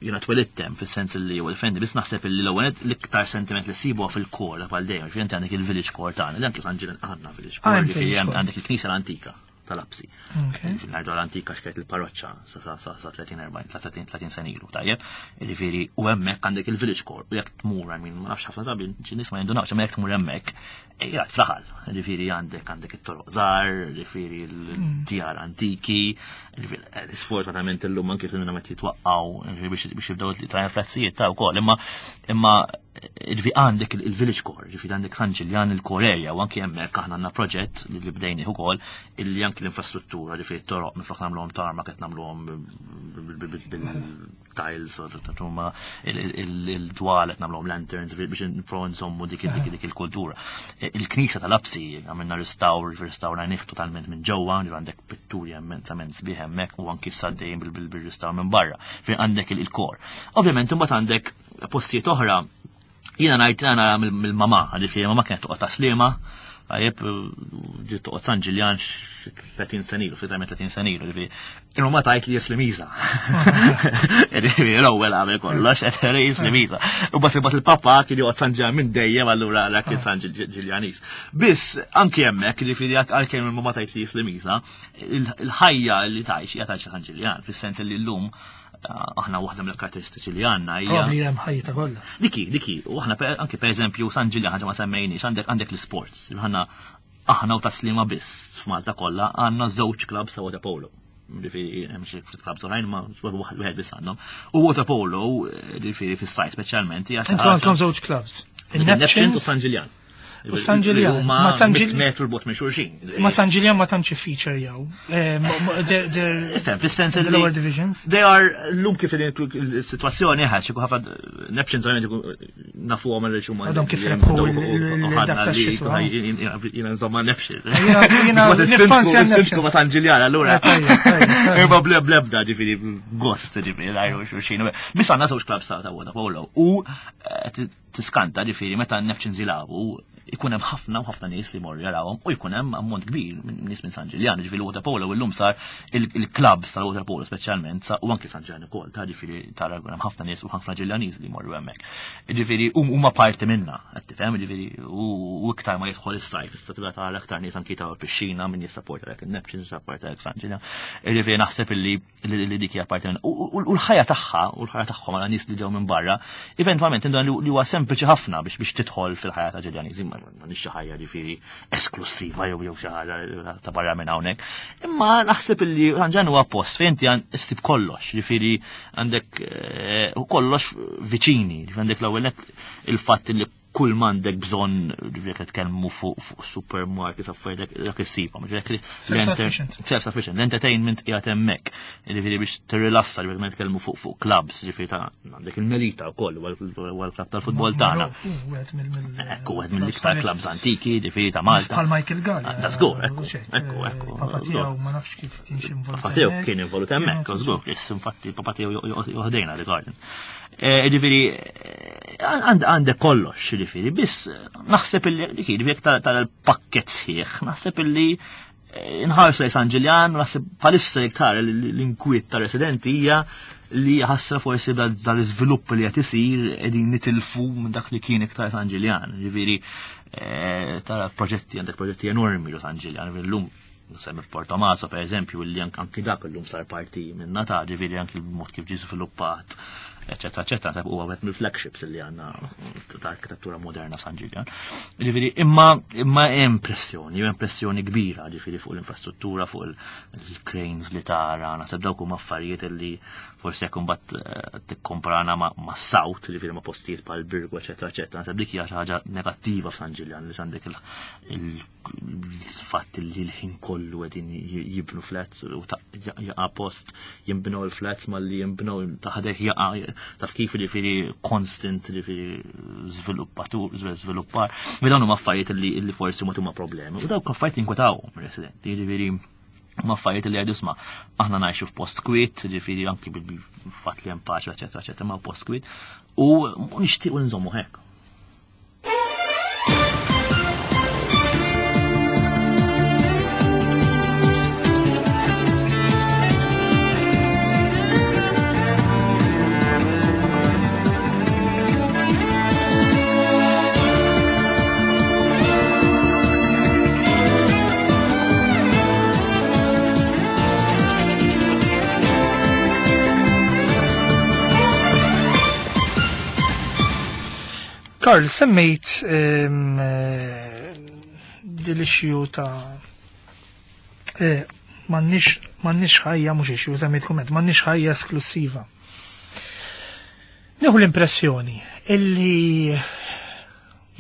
Speaker 2: jiena twelidtem fis-sens li huwa differenti, biss naħseb illi l-ewwel l-iktar sentiment li sibu fil-core bħal dejjem, ġifieri inti għandek il-village core tagħna, li anke San Ġiljan għandna village
Speaker 1: Ah,
Speaker 2: core,
Speaker 1: hemm
Speaker 2: ġifieri
Speaker 1: village
Speaker 2: hemm
Speaker 1: core.
Speaker 2: għandek il-knisja l-antika tal-Apsi.
Speaker 1: Okay.
Speaker 2: Ngħidu l-antika xkajt il-parroċċa sa sa sa sa tletin erbgħin tletin tletin sena ilu, tajjeb. Ġifieri u hemmhekk għandek il-village core u jekk tmur, I mean, ma nafx ħafna drabi xi nies ma jindunawx, imma jekk tmur hemmhekk, qiegħed fl-aħħar. Ġifieri għandek għandek it-toroq żgħar, ġifieri l-djar antiki, ġifieri eh, sfortunatament illum anke fil meta jitwaqqgħu ġifieri biex biex jibdew trajan frazzijiet ta' wkoll, imma imma ġifieri għandek il- il-village core, ġifieri għandek San Ġiljan il-core area u anke hemmhekk aħna għandna proġett li li bdejnih ukoll illi anke l-infrastruttura, ġifieri t-toroq minflok nagħmluhom tarmac qed nagħmluhom bil-tiles u huma il-dwal qed nagħmluhom lanterns biex nipprovaw nżommu dik dik dik il-kultura. Il-knisja tal-Apsi għamilna restawr, restawrajnih totalment minn ġewwa, ġifieri għandek pitturi immensament sbieħ hemmhekk u anki s-saddejn bil-restawr minn barra. Fejn għandek il-core. Ovvjament imbagħad għandek postijiet oħra. Jiena ngħid għana mill-mama, ġifieri mama kienet toqgħod Tas-Sliema, għajib ġiet toqgħod San Ġiljan tletin sena ilu, ftit tletin sena ilu, ġifieri. Il-mama tgħid li Slimiża. Ġifieri l-ewwel għamel kollox, qed Slimiża. U bas imbagħad il-papa kien joqgħod San Ġiljan minn dejjem allura għala kien San Ġiljanis. Biss anki hemmhekk, ġifieri għalkemm il-mama tgħid li Slimiża, il-ħajja li tgħix hija tgħix San Ġiljan, fis-sens li llum aħna waħda mill-karatteristiċi li għandna hija.
Speaker 1: Probabli hemm ħajja kollha.
Speaker 2: Diki, diki, u aħna per- anke per eżempju San Ġiljan ħaġa ma semmejniex, għandek għandek l-sports. Aħna aħna u Tas-Sliema biss f'Malta kollha għandna żewġ clubs ta' water polo. Ġifieri hemm xi ftit clubs oħrajn ma wieħed biss għandhom. U water polo, ġifieri fis-sajf speċjalment hija xi
Speaker 1: Intu
Speaker 2: ħaġa-
Speaker 1: għandkom żewġ clubs.
Speaker 2: Il-Neptunes u San Ġiljan.
Speaker 1: U San Ġiljan.
Speaker 2: Ma
Speaker 1: Ma San Ġil-
Speaker 2: metru 'l bogħod minn xulxin.
Speaker 1: Ma San Ġiljan ma tantx feature jew. Eh, mo- mo- they're- they're-
Speaker 2: Ifhem, fis-sens
Speaker 1: the
Speaker 2: li
Speaker 1: lower divisions.
Speaker 2: They are l-lum kif il-situazzjoni ħax, ikun ħafna Neptunes ovvjament ikun nafu għom il huma.
Speaker 1: Għadhom kif rebħu l- l- dak tax-xitwa.
Speaker 2: Jiena insomma Neptunes.
Speaker 1: Jiena- jiena niffanzja
Speaker 2: Sindku ma San Ġiljan, allura.
Speaker 1: Eh, tajjeb, tajjeb, tajjeb.
Speaker 2: Imma bleb blebda ġifieri gost ġifieri għajru xulxin. Biss għandna żewġ clubs ta' water polo u eh, tiskanta ġifieri meta Neptunes jilagħbu Ikun hemm ħafna u ħafna nies li morru jarawhom u jkun hemm ammont kbir minn nies minn San Ġiljan, ġifieri water polo illum sar il-klabbs tal-water polo speċjalment u anki San Ġiljan ukoll, ta' ġifieri tara jkun hemm ħafna nies u ħafna Ġiljaniż li jmorru hemmhekk. Ġifieri huma parti minna, qed tifhem, ġifieri u iktar ma jidħol is-sajf tista' tibda tara aktar nies anki ta' pixxina min jissapporta dak in-Neptunes, jissapporta dak San Ġiljan. Ġifieri naħseb illi li dik hija parti minna. U l-ħajja tagħha u l-ħajja tagħhom għal nies li ġew minn barra, eventwalment li huwa sempliċi ħafna biex biex tidħol fil-ħajja ta' Ġiljaniżi, ma nix xi ħajja ġifieri esklusiva jew jew xi ħaġa ta' barra minn hawnhekk. Imma naħseb illi San Ġiljan huwa post fejn inti issib kollox, ġifieri għandek u kollox viċini, għandek l-ewwel il-fatt li kull m'għandek bżonn, ġifieri qed tkellmu fuq supermarkets affarijiet dak issibhom, ġifieri self-sufficient, l-entertainment qiegħed hemmhekk, ġifieri biex tirrilassa, ġifieri meta nitkellmu fuq fuq clubs, ġifieri ta' għandek il-Melita wkoll huwa l-klabb tal-futbol tagħna. Ekku wieħed mill-iktar clubs antiki, ġifieri ta' Malta.
Speaker 1: Bħal Michael Galea.
Speaker 2: Ta' żgur, ekku, ekku, ekku.
Speaker 1: Papa tiegħu ma nafx kif kienx involut.
Speaker 2: Papa tiegħu kien involut hemmhekk, żgur, infatti papa tiegħu joħdejna li garden. Ġifieri għandek kollox, ġifieri, biss naħseb illi ġifieri jekk tara l-pakket sħiħ, naħseb illi nħarsu lejn San Ġiljan, naħseb bħalissa jekk tara l-inkwiet ta' residenti hija li ħassra forsi dal-iżvilupp li qed isir qegħdin nitilfu minn dak li kien iktar San Ġiljan. Ġifieri tara proġetti, għandek proġetti enormi ġo San Ġiljan, llum semmi Portomaso per eżempju, li anki dak illum sar parti minn ta' ġifieri anki l-mod kif ġie żviluppat, eccetera, eccetera, ta' huwa wieħed mill-flagships li għandna ta' arkitettura moderna San Ġiljan. Ġifieri imma imma hemm pressjoni, hemm pressjoni kbira ġifieri fuq l-infrastruttura, fuq il-cranes li tara, naħseb dawk huma affarijiet li forsi jekk imbagħad tikkomparana ma' South, ġifieri ma' postijiet bħal Birgu, eccetera, eccetera, naħseb dik hija xi ħaġa negattiva f'San Ġiljan li għandek il-fatt li l-ħin kollu qegħdin jibnu flats u jaqa' post jinbnew il-flats malli jinbnew taħdeh jaqa' taf kif ġifieri constant ġifieri żviluppatur żviluppar. Mi dawn huma affarijiet li forsi ma huma problemi. U dawk affarijiet inkwetawhom ir-residenti, ġifieri huma affarijiet li jgħidu isma' aħna ngħixu f'post kwiet, ġifieri anki bil-fatt li hemm paċi, eċetera, eċetera, ma' post kwiet u nixtiequ nżommu hekk.
Speaker 1: Karl, semmejt dil-issue ta' m'għandniex ħajja, mhux issue, semmejt kumment, m'għandniex ħajja esklusiva. Nieħu l-impressjoni illi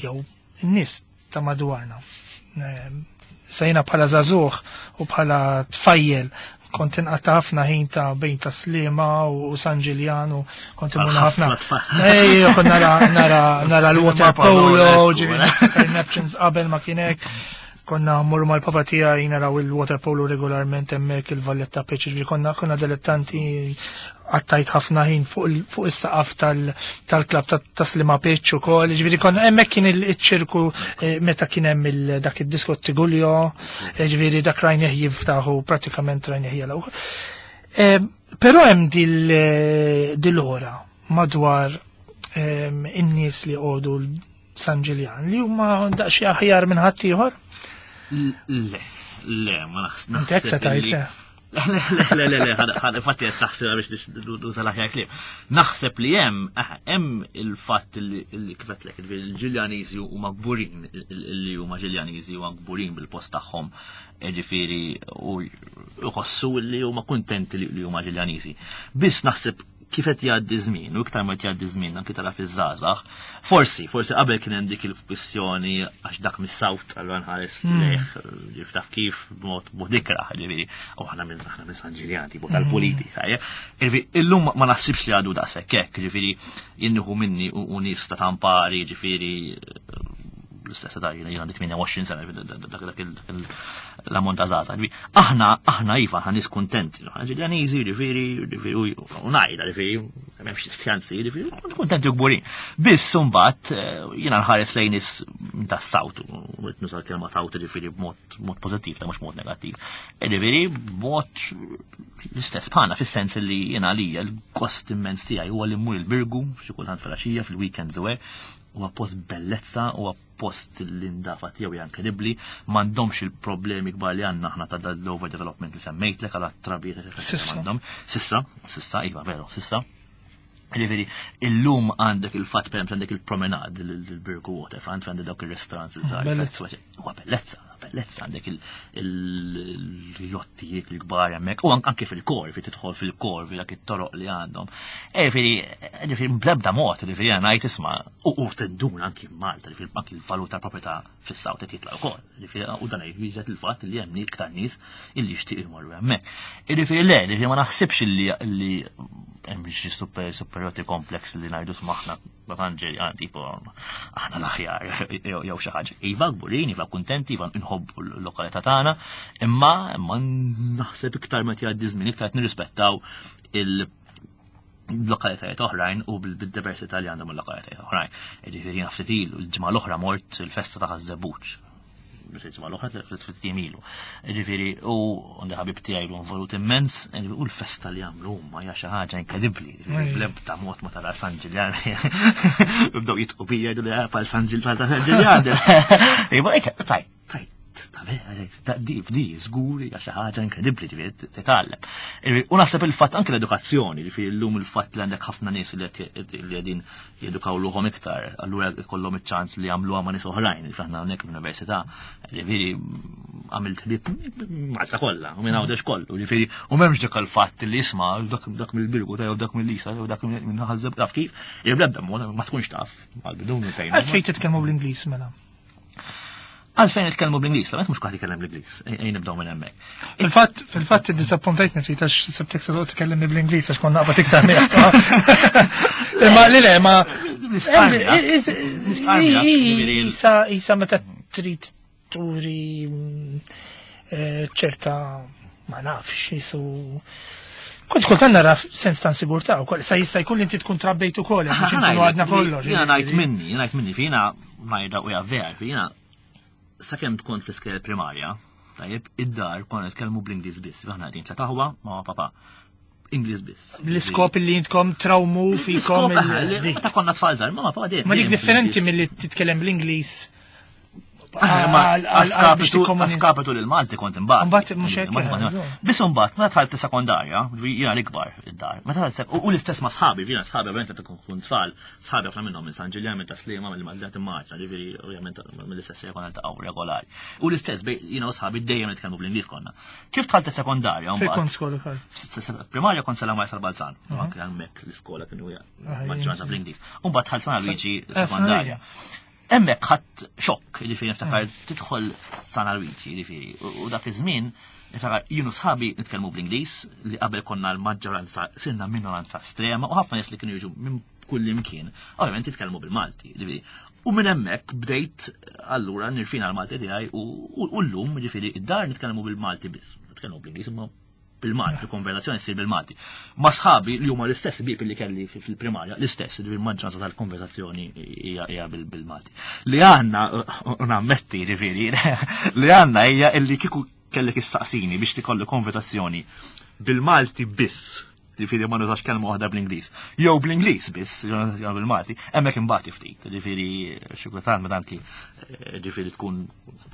Speaker 1: jew in-nies ta' madwarna, sejna bħala żagħżugħ u bħala tfajjel kont inqatta' ħafna ħin ta' bejn ta' Sliema u San Ġiljan u kont immur ħafna. Ejja, kont nara nara nara l-water polo, ġifieri Neptunes qabel ma kien hekk. Konna mmorru mal-papa tiegħi naraw il-water polo regolarment hemmhekk il-Valletta Pitch, ġifieri konna konna dilettanti, għattajt ħafna ħin fuq is-saqaf tal-klabb ta' Sliema Pitch ukoll, ġifieri konna hemmhekk kien iċ-ċirku meta kien hemm dak id-disko Tigulio, ġifieri dak rajnieh jiftaħu pratikament rajnieh jagħlqu. Però hemm dil-ora madwar in-nies li jqogħdu San Ġiljan li huma daqsxejn aħjar minn ħaddieħor.
Speaker 2: Le, le, ma naħseb.
Speaker 1: Inti hekk se tgħid le.
Speaker 2: Le, le, le, le, ħad infatti qed taħsibha biex nuża l-aħjar kliem. Naħseb li hemm, hemm il-fatt li kif qedlek, il-Ġiljaniżi huma kburin, li huma Ġiljaniżi huma kburin bil-post tagħhom, ġifieri u jħossu li huma kuntenti li huma Ġiljaniżi. Biss naħseb kif qed jgħaddi żmien, u iktar ma qed jgħaddi żmien anki tara fiż-żgħażagħ, forsi, forsi qabel kien hemm dik il-kwistjoni għax dak mis-South allura nħares lejh, ġif taf kif b'mod mod ikrah, ġifieri, u aħna minn aħna minn San Ġiljan, tipo tal-politika, ġifieri, illum ma naħsibx li għadu daqshekk hekk, ġifieri, jien nieħu minni u nies ta' tampari, ġifieri, l-istess età, jiena għandi tmienja u għoxrin sena, dak l-ammont ta' żgħażagħ. Aħna, aħna iva, aħna nies kuntenti, Ġiljaniżi, ġifieri, ġifieri, u ngħidha, ġifieri, m'hemmx istjanzi, ġifieri, kuntenti u kburin. Biss imbagħad jiena nħares lejn nies tas-South, u nuża l-kelma South ġifieri b'mod mod pożittiv, ta' mhux mod negattiv. Ġifieri b'mod l-istess bħalna fis-sens li jiena għalija l-gost immens tiegħi huwa li mmur il-Birgu xi kultant filgħaxija fil-weekends u hekk, huwa post bellezza, huwa post l-indafa tiegħu hija inkredibbli, m'għandhomx il-problemi kbar li għandna aħna ta' l-overdevelopment li semmejtlek għal trabijiet
Speaker 1: Sissa.
Speaker 2: għandhom. Sissa, sissa, iva veru, sissa. Ġifieri, illum għandek il-fatt, per għandek il-promenade, il-Birgu Waterfront, għandek dawk il-restaurants iż-żgħar.
Speaker 1: Bellezza.
Speaker 2: Huwa bellezza, bellezza, għandek il-jottijiet il-kbar hemmhekk, u anke fil-kor, fi tidħol fil-kor, fi dak it-toroq li għandhom. Ġifieri, ġifieri bl-ebda mod, ġifieri jiena ngħid isma' u u tinduna anki Malta, ġifieri anki l-valur tal-proprjetà fis-South qed jitla' wkoll. Ġifieri u dan jiġet il-fatt li hemm iktar nies illi jixtieq imorru hemmhekk. Ġifieri le, ġifieri ma naħsibx illi illi hemm xi super superiority complex li ngħidu aħna Ġiljani, tipo aħna l-aħjar jew jew xi ħaġa. Iva kburin, iva kuntenti, iva nħobbu l-lokalità tagħna, imma imma naħseb iktar meta jgħaddi żmien iktar qed nirrispettaw il- lokalitajiet oħrajn u bil-diversità li għandhom il-lokalitajiet oħrajn. Ġifieri jiena ftit ilu, il-ġimgħa l-oħra mort il-festa ta' Ħaż-Żebbuġ. Biex il-ġimgħa l-oħra ftit ilu. Ġifieri u għandi ħabib tiegħi li involut immens, u l-festa li għamlu huma hija xi ħaġa inkredibbli. Bl-ebda mod ma tara San Ġiljan. Bdew jidħku bija jgħidu li pal San Ġiljan ta' San Ġiljan. Iva, tajt, tajt, ta' di, di, żgur hija xi ħaġa inkredibbli ġifieri titgħallem. U naħseb il-fatt anke l-edukazzjoni, ġifieri llum il-fatt li għandek ħafna nies li qegħdin jedukaw ruħhom iktar, allura jkollhom iċ-ċans li jagħmluha ma' nies oħrajn, ġifieri aħna hawnhekk l-università, ġifieri għamilt ħbieb Malta kollha, u minn Għawdex kollu, ġifieri u m'hemmx dik il-fatt li isma' dak dak mill-Birgu, jew dak mill-Lisa, jew dak minn Ħaż-Żebbuġ, taf kif, bl-ebda mod ma tkunx taf, għal-bidu fejn.
Speaker 1: Għalfejn titkellmu bl-Ingliż mela?
Speaker 2: Għalfejn nitkellmu bl-Ingliż, ta' mhux kulħadd jitkellem bl-Ingliż, ejn nibdew minn hemmhekk.
Speaker 1: Fil-fatt, fil-fatt iddisappuntajtni ftit għax sebtek se toqgħod tkellimni bl-Ingliż għax konna naqbad iktar miegħek. Imma li le, ma Isa isa meta trid turi ċerta, ma nafx, jisu Kont kultant nara sens ta' sigurtà wkoll, sa jista' jkun li inti tkun trabbejt ukoll, biex inkunu għadna kollox.
Speaker 2: Jiena ngħid minni, jiena ngħid minni, fina ngħidha u vera, fina sakemm tkun fl-iskejjel primarja, tajjeb, id-dar konna nitkellmu bl-Ingliż biss, aħna qegħdin tliet aħwa ma' papa. Ingliż biss.
Speaker 1: L-iskop li intkom trawmu fikom.
Speaker 2: Meta konna tfal żgħar, mamma papa dejjem.
Speaker 1: Ma dik differenti milli titkellem bl-Ingliż.
Speaker 2: Askapitu li l-Malti kont imbagħad.
Speaker 1: Imbagħad mhux hekk.
Speaker 2: Biss imbagħad meta dħalt sekondarja, jiena l-ikbar id-dar. Meta dħalt u l-istess ma' sħabi, jiena sħabi ovvjament meta tkun tfal, sħabi ħafna minnhom minn San Ġiljan, minn Tas-Sliema, mill-Malta Maċna, ġifieri ovvjament mill-istess konna niltaqgħu regolari. U l-istess jiena u sħabi dejjem nitkellmu bl-Ingliż konna. Kif dħalt sekondarja
Speaker 1: Fejn kont skola kol?
Speaker 2: Primarja kont Stella Maris Balzan, anke hemmhekk l-iskola kienu maġġoranza bl-Ingliż. U mbagħad dħalt San Luigi sekondarja. Hemmhekk ħadt xokk, ġifieri niftakar tidħol San Luigi, ġifieri, u dak iż-żmien niftakar jien u sħabi nitkellmu bl-Ingliż li qabel konna l-maġġoranza sirna minoranza estrema u ħafna nies li kienu jiġu minn kull imkien, ovvjament jitkellmu bil-Malti, ġifieri. U minn hemmhekk bdejt allura nirfina l-Malti tiegħi u llum ġifieri id-dar nitkellmu bil-Malti biss, nitkellmu bl-Ingliż imma bil-Malti, il-konversazzjoni ssir bil-Malti. Ma sħabi li huma l-istess bib li kelli fil-primarja, l-istess, il-maġġoranza tal-konversazzjoni hija bil-Malti. Li għandna, u nammetti ġifieri, li għandna hija illi kieku kellek issaqsini biex tikolli konversazzjoni bil-Malti biss, ġifieri ma nużax kelma waħda bl-Ingliż, jew bl-Ingliż biss, jew bil-Malti, hemmhekk imbagħad ftit, ġifieri xi kultant meta anki ġifieri tkun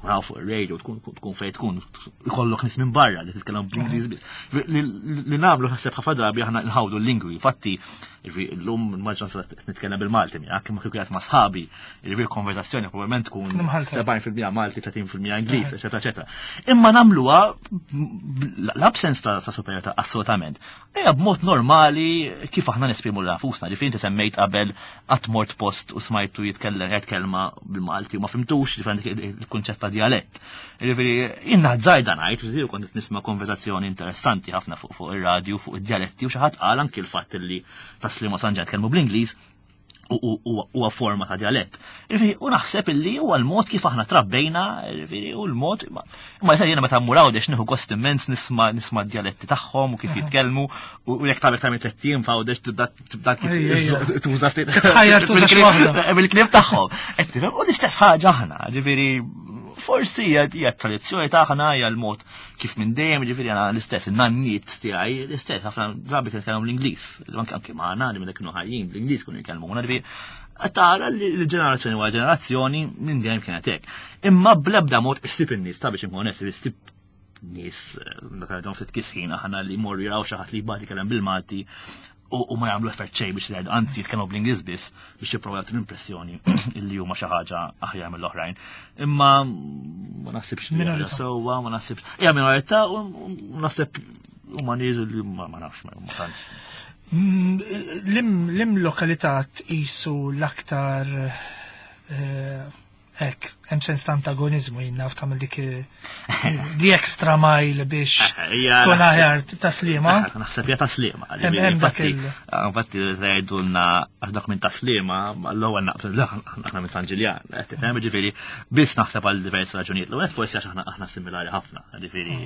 Speaker 2: raw fuq ir-radio, tkun tkun fejn tkun ikollok nies minn barra li titkellem bl-Ingliż biss. Li nagħmlu ħaseb ħafna drabi aħna nħawdu l-lingwi, infatti ġifieri llum il-maġġoranza nitkellem bil-Malti miegħek, imma kieku qiegħed ma' sħabi, ġifieri konversazzjoni probabbilment tkun sebgħin fil-mija Malti, tletin fil-mija Ingliż, eċetera, eċetera. Imma nagħmluha l-absence ta' superjorità assolutament. Ejja b'mod normali kif aħna nesprimu nfusna, ġifieri inti semmejt qabel qatt mort post u smajtu jitkellem jgħid kelma bil-Malti u ma fimtux, ġifieri il-kunċett ta' dialett. Ġifieri jiena żgħir ngħid, ġifieri kont nisma' konversazzjoni interessanti ħafna fuq fuq ir-radju fuq id-dialetti u xi ħadd qal anki l-fatt li Tas-Sliema San Ġiljan tkellmu bl-Ingliż. Huwa forma ta' djalett. U naħseb illi huwa l-mod kif aħna trabbejna, u l-mod, imma jiena meta mmur Għawdex nieħu gost immens nisma' nisma' d-djaletti tagħhom u kif jitkellmu, u jekk tagħmel tagħmel tlett ijiem f'Għawdex tibda tibda tuża ftit bil-kliem tagħhom. Qed tifhem? U l-istess ħaġa aħna, ġifieri forsi hija tradizzjoni tagħna, hija l-mod kif minn dejjem, ġifieri għana l-istess, in-nanniet tiegħi l-istess, ħafna drabi kienu jitkellmu l-Ingliż, anke anke magħna li meta kienu ħajjin bl-Ingliż kienu jitkellmuna, ġifieri tara li l-ġenerazzjoni wara ġenerazzjoni minn dejjem kienet hekk. Imma bl-ebda mod issib in-nies ta' biex inkun onest, issib nies meta għandhom ftit kisħin aħna li jmorru jaraw xi ħadd li jbagħad jitkellem bil-Malti u ma jagħmlu effett xejn biex jgħidu, anzi jitkellmu bl-Ingliż biss biex jipprovaw jagħtu l-impressjoni illi huma xi ħaġa aħjar mill-oħrajn. Imma ma naħsibx li sewwa, ma naħsibx. Hija minorità u naħseb huma nies li ma nafx ma tantx.
Speaker 1: Lim lokalità tqisu l-aktar hekk, hemm sens ta' antagonizmu, jien naf tagħmel dik the extra mile biex tkun aħjar taslima.
Speaker 2: Naħseb hija taslima. Infatti, infatti tgħidulna għax dak minn taslima, l-ewwel naqbel aħna minn San Ġiljan, qed tifhem, ġifieri biss naħseb għal diversi raġunijiet. L-ewwel forsi għax aħna aħna similari ħafna, ġifieri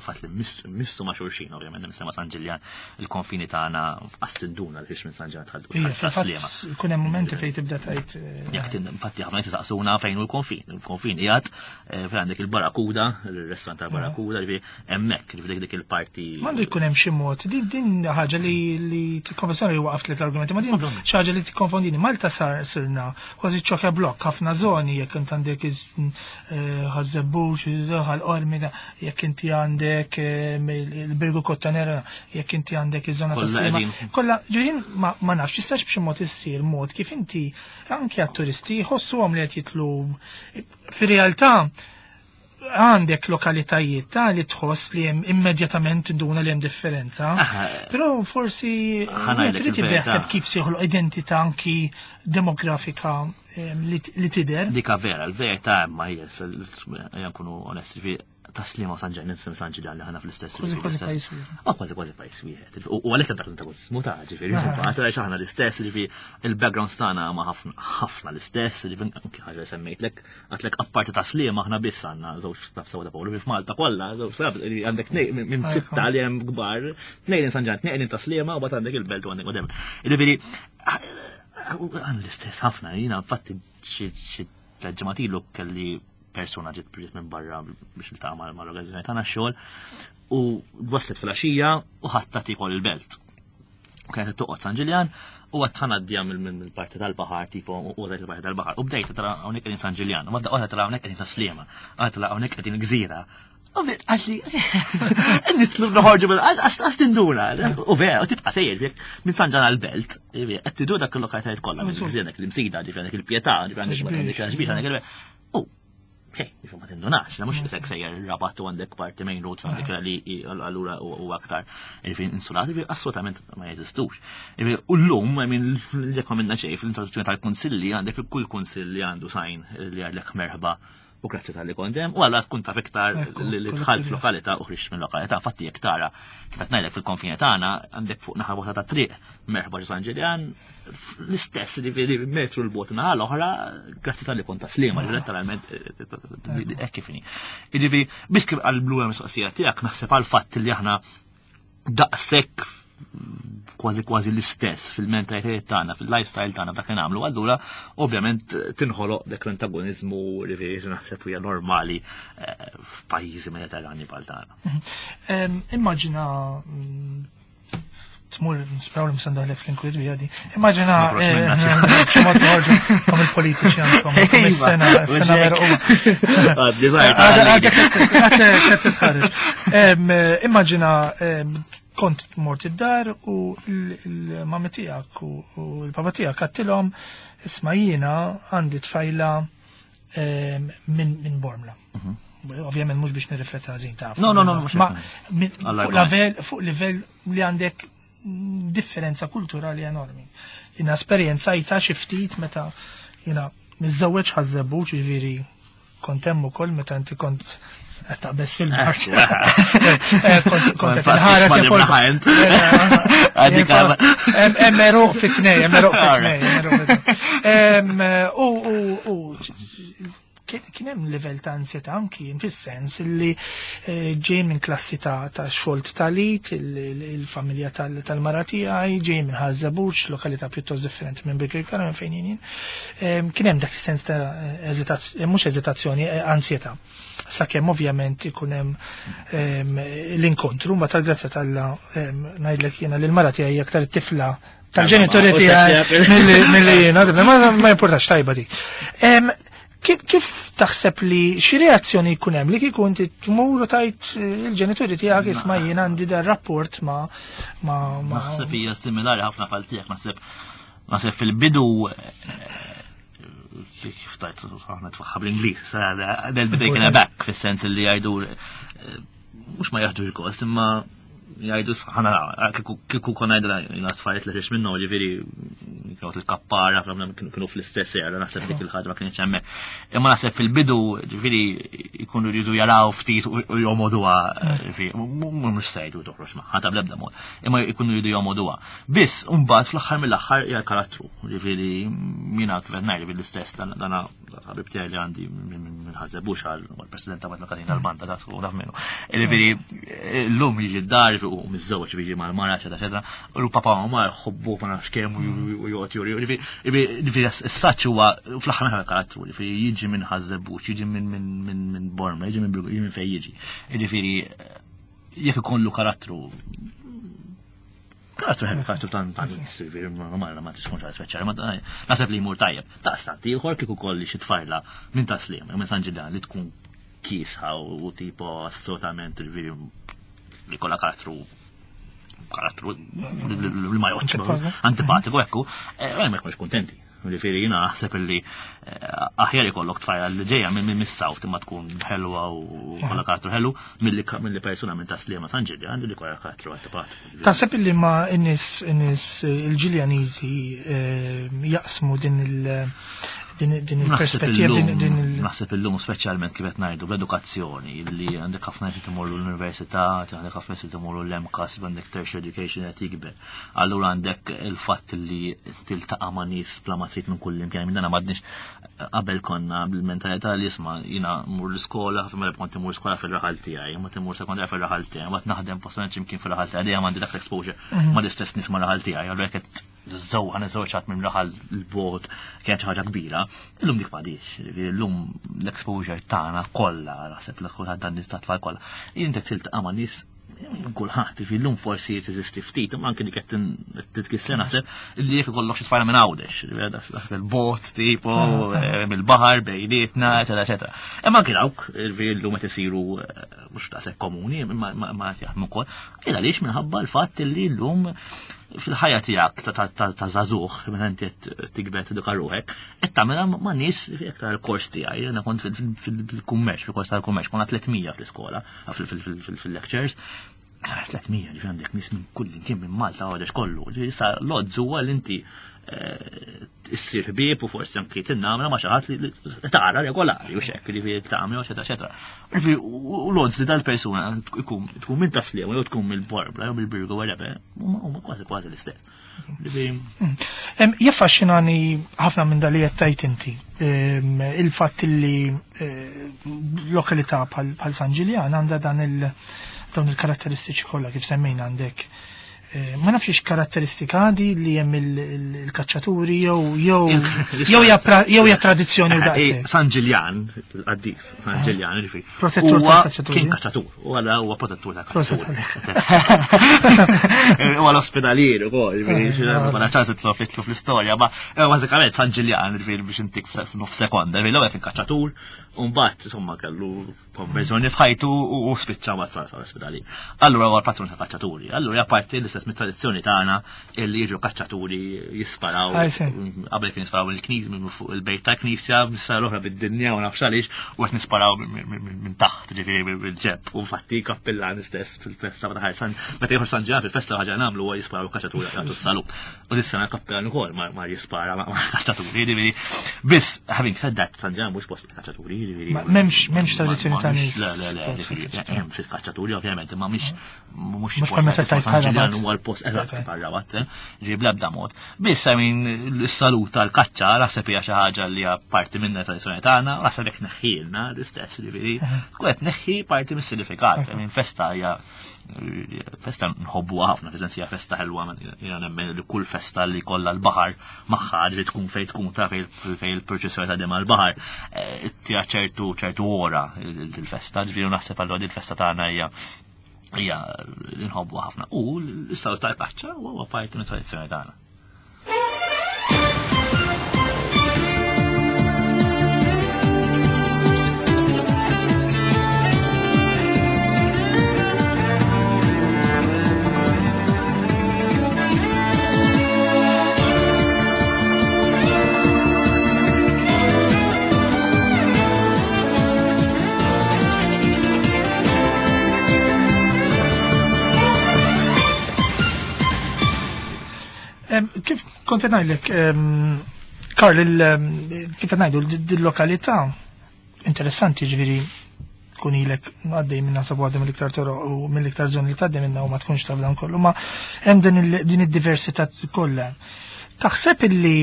Speaker 2: fatt li mistu ma' xulxin, ovvjament nisema San Ġiljan, il-konfini tagħna qas tinduna li minn San Ġiljan tħaddu taslima.
Speaker 1: Ikun hemm mumenti fejn tibda tgħid.
Speaker 2: Jekk infatti ħafna nies jistaqsuna fejn hu l-konfin. Il-konfin qiegħed fejn għandek il-Barakuda, il-restorant tal-Barakuda, ġifieri hemmhekk, ġifieri dik il-parti.
Speaker 1: M'għandu jkun hemm xi mod. Din din ħaġa li li tikkonfessjoni li waqaft tliet argumenti, ma din xi ħaġa li tikkonfondini. Malta sar sirna kważi ċoke blokk ħafna żoni, jekk int għandek Ħaż-Żebbuġ, Ħal-Qormi, jekk inti għandek il-Birgu Kottanera, jekk inti għandek iż-żona tas-Sliema. Kollha ġifieri ma nafx jistax b'xi mod issir mod kif inti anke għat-turisti jħossuhom li qed jitlu. Fir-realtà għandek lokalitajiet ta' li tħoss li hemm immedjatament tinduna li hemm differenza. Però forsi wieħed irid jibda jaħseb kif se joħloq identità anki demografika li tidher.
Speaker 2: Dika vera, l-verità imma hija nkunu onesti, taslima u San Ġiljan, San Ġiljan li ħana fl-istess.
Speaker 1: Kważi kważi pajjiż wieħed.
Speaker 2: Ah, kważi kważi pajjiż wieħed. U għalhekk dak l-antagonizmu ta' ġifieri, għax aħna l-istess, ġifieri il-background tagħna ma ħafna ħafna l-istess, ġifieri anki ħaġa semmejtlek, għatlek apparti taslima aħna biss għandna żewġ taf sewa ta' Pawlu f'Malta kollha, għandek minn sitta li hemm kbar, tnejn San Ġiljan, tnejn taslima u bagħad għandek il-belt u għandek whatever. Ġifieri għandna l-istess ħafna, jiena infatti xi tliet ġimgħat ilu kelli persuna ġiet ġiet minn barra biex niltaqa' mal-organizzazzjoni tagħna x-xogħol u waslet fil-għaxija u ħadd tikol il-belt. U kienet toqgħod San Ġiljan u għad ħanaddija mill-parti tal-baħar, tipo u għadajt il-parti tal-baħar. U bdejt tara hawnhekk qegħdin San Ġiljan, u għadda tara hawnhekk qegħdin Taslima, għadda tara hawnhekk qegħdin Gżira. U bdejt għalli nitlu noħorġu mill għas tinduna. U vera, u tibqa' sejjer minn San Ġan għall-belt, qed tidur dak il-lokalitajiet kollha, Gżira, dak l-Imsida, ġifieri għandek il-Pietà, ġifieri għandek il-Xbiex, għandek il U Hej, ma tindunax, la mhux isek sejjer Rabat u għandek parti main road għandek li allura u aktar ġifieri insulati, ġifieri assolutament ma jeżistux. U llum, minn jekk ma minna xejn fl-introduzzjoni tal-kunsilli għandek kull kunsill li għandu sajn li għalek merħba u grazzi tal-li kondem, u għalla tkun taf iktar li tħall f'lokalità u ħriġt minn lokalità. Infatti jekk tara kif qed ngħidlek fil-konfini tagħna għandek fuq naħa bota ta' triq merħba ġo San Ġiljan, l-istess li metru l-bot naħa l-oħra, grazzi tal-li kont taslima, li letteralment hekk kif inhi. Jiġifieri biss kif għall-blu hemm mistoqsija tiegħek naħseb għal fatt li aħna daqshekk kważi kważi l-istess fil-mentalitajiet tagħna, fil-lifestyle tagħna f'dak li nagħmlu, allura ovvjament tinħoloq dak l-antagonizmu li naħseb hija normali f'pajjiżi Mediterrani bħal tagħna.
Speaker 1: Immaġina tmur nispraw li msandaħlef fl-inkwiet bija di. Immaġina xi mod toħorġu kom il-politiċi għandkom is-sena s-sena merquma. Għad titħarġ. Immaġina kont mort id-dar u l-mami tiegħek u l-papa tiegħek għattilhom isma' jiena għandi tfajla minn Bormla. Ovvjament mhux biex nirrifletta ħażin taf.
Speaker 2: No, no, no, mhux.
Speaker 1: Fuq livell li għandek differenza kulturali enormi. Jina esperjenzajta xi ftit meta jiena miżżewweġ Ħaż-Żebbuġ, jiġifieri Kont hemm ukoll meta inti kont qed taqbeż fil-marċ. Kont kont qed inħares Hemm eruq fit-tnej, hemm eruq fit-tnej, hemm eruq fit-tnej. U u kien hemm livell ta' ansjetà anki fis-sens illi ġej minn klassi ta' xogħol talit, il-familja tal-mara tiegħi, ġej minn Ħaż-Żebbuġ, lokalità pjuttost differenti minn Birkirkara minn fejn jien. Kien hemm dak is-sens ta' eżitazzjoni, mhux eżitazzjoni, ansjetà. Sakemm ovvjament ikun hemm l-inkontru, ma tal-grazzja t'Alla ngħidlek jiena li l-mara tiegħi aktar it-tifla tal-ġenituri tiegħi milli jiena, ma importax, tajba dik. Kif taħseb li xi reazzjoni jkun hemm li kieku inti tmur u tajt il-ġenituri tiegħek, isma', jien għandi dar rapport ma ma
Speaker 2: Naħseb hija similari ħafna bħal tiegħek, naħseb naħseb fil-bidu, kif tajt aħna tfaħħa bl-Ingliż, they'll be taken aback, fis-sens li jgħidu mhux ma jaħdux gost, imma jgħidu ħana kieku konna għajdra jina tfajt li minnu, ġifieri kienu il-kappara, kienu fl-istess era, naħseb dik il-ħaġa ma kienx hemmhekk. Imma naħseb fil-bidu, ġifieri jkunu jridu jaraw ftit u jomoduha, ġifieri mhux se jgħidu toħroġ magħha ta' bl-ebda mod, imma jkunu jridu jomoduha. Biss mbagħad fl-aħħar mill-aħħar hija karattru, ġifieri jiena kif qed ngħid l-istess dana ħabib tiegħi li għandi minn Ħaż-Żebbuġ għal president ta' Katina tal-banda ta' taf minnu. Ġifieri llum jiġi d-dar u miżżewweġ, jiġi mal-mara, eċetera, eċetera. U l-papa u ma jħobbu ma nafx kemm u joqgħod juri. Ġifieri s-saċ huwa fl-aħħar mill karattru, ġifieri jiġi minn Ħaż-Żebbuġ, jiġi minn minn Bormla, jiġi minn jiġi minn fejn jiġi. Ġifieri jekk ikollu karattru karattru ħelu, karattru tan tan ma ma tkun ċara speċjali, ma naħseb li jmur tajjeb. Ta' stanti ieħor kieku kolli xi tfajla minn Tas-Sliema, minn San Ġiljan li tkun kiesħa u tipo assolutament li kolla karattru karattru li ma joħċ antipatiku ekku, ma jkunx kontenti. Ġifieri jiena naħseb li aħjar ikollok tfajla li ġejja minn mis-South imma tkun ħelwa u kollha karattru ħelu milli persuna minn Tas-Sliema, San Ġiljan li kollha karattru antipatiku.
Speaker 1: Taħseb li ma n-nies n-nies il-Ġiljaniżi jaqsmu din il- din il-perspettiva din il-
Speaker 2: Naħseb illum, speċjalment kif qed ngħidu bl-edukazzjoni, li għandek ħafna nies imorru l-università, għandek ħafna nies imorru l-M CAST, għandek tertiary education qed jikber. Allura għandek il-fatt li tiltaqa' ma' nies bla ma trid minn kull imkien, minn dana m'għadniex qabel konna bil-mentalità li isma' jiena mur l-iskola, ħafna mela kont imur skola fil-raħal tiegħi, ma timur sekondarja fil-raħal tiegħi, ma naħdem posta x'imkien fil-raħal tiegħi, dejjem għandi dak l-exposure ma l-istess nies ma' raħal tiegħi, allura jekk qed żewġ ħa niżżewweġ minn raħal l-bot kienet xi ħaġa kbira, illum dik m'għadix. Illum l-exposure tagħna kollha, naħseb l kulħadd dan nies ta' tfal kollha. Inti tiltaqa' ma' nies kulħadd, illum forsi teżisti ftit, imma anke dik qed titkissel, naħseb li jekk ikollok xi tfajla minn Għawdex, dak il-bot tipo mill-baħar bejnietna, eċetera, eċetera. Imma anke dawk, illum qed isiru mhux daqshekk komuni, imma ma jaħdmu wkoll. Il għaliex minħabba l-fatt li llum fil-ħajja tiegħek ta' żagħżugħ, meta inti qed tikber teduka ruħek, qed tagħmilha ma' nies iktar il-kors tiegħi. Jiena kont fil-kummerċ, fil-kors tal-kummerċ, konna tliet mija fl-iskola, fil-lectures. tliet mija, ġifieri għandek nies minn kull kien minn Malta, Għawdex, kollu. Issa l-odds huwa li inti issir ħbieb u forsi anki tinnamra ma' xi ħadd li tara regolari u xek li tagħmel, eċetera, eċetera. U l-odds dal-persuna tkun tkun minn Tas-Sliema jew tkun mill-Bormla jew mill-Birgu, whatever, huma kważi kważi l-istess.
Speaker 1: Jaffaxxinani ħafna minn dali qed tajt inti. Il-fatt li lokalità bħal San Ġiljan għandha dan il- dawn il-karatteristiċi kollha kif semmejna. Għandek, ma nafx karatteristika għadi li hemm il-kaċċaturi jew jew jew hija tradizzjoni u daqshekk.
Speaker 2: San Ġiljan, il-qaddis, San Ġiljan, ġifieri.
Speaker 1: Protettur tal-kaċċaturi.
Speaker 2: Kien kaċċatur, u għala huwa protettur tal-kaċċaturi. Huwa l-ospedalier ukoll, ġifieri, ma ċans itlu fl-istorja, ma bażikament San Ġiljan, ġifieri biex intik f'nof sekonda, ġifieri l-ewwel kien kaċċatur, u mbagħad insomma kellu konverżjoni f'ħajtu u spiċċa ma sar ospedali. Allura huwa l-patrun ta' kaċċaturi. Allura apparti l-istess mit-tradizzjoni tagħna illi jiġu kaċċaturi jisparaw. Qabel kien jisparaw il-knisja minn fuq il-bejt ta' knisja, issa l-oħra bid-dinja u nafx għaliex u qed nisparaw minn taħt, ġifieri bil-ġeb. U infatti kappillan stess fil-festa ta' ħarsan, meta jieħu San Ġiljan fil-festa ħaġa nagħmlu huwa jisparaw kaċċaturi jagħtu s-salut. U dis-sena kappillan ukoll ma jispara ma' kaċċaturi, ġifieri. Biss, having said that, San Ġiljan mhux post kaċċaturi. Jiġifieri.
Speaker 1: M'hemmx m'hemmx tradizzjoni ta' nies.
Speaker 2: Le, le, le, jiġifieri, hemm ftit kaċċaturi ovvjament, imma mhix
Speaker 1: mhux bħal meta tajt
Speaker 2: bħal huwa l-post eżatt bħal Rabat, ġifieri bl-ebda mod. Biss I mean is-salut tal-kaċċa naħseb hija xi ħaġa li hija parti minn tradizzjoni tagħna, naħseb hekk neħħilna l-istess, jiġifieri tkun qed neħħi parti mis-sinifikat. I mean festa hija festa nħobbuha ħafna, fis-sens hija festa ħelwa, jiena nemmen li kull festa li kollha l-baħar magħha li tkun fejn tkun ta' fejn il-proċessjoni ta' dem għall-baħar, tira ċertu ċertu ora il-festa, ġifieri naħseb allura din il-festa tagħna hija hija li nħobbuha ħafna. U l-istaw tal-kaċċa huwa parti mit-tradizzjoni tagħna.
Speaker 1: Kif kont qed ngħidlek, Karl, kif qed ngħidu dil-lokalità interessanti, ġifieri tkun ilek għaddej minna sabu għaddej mill-iktar toroq u mill-iktar żoni li tgħaddi minna u ma tkunx taf dan kollu, ma hemm din id-diversità kollha. Taħseb illi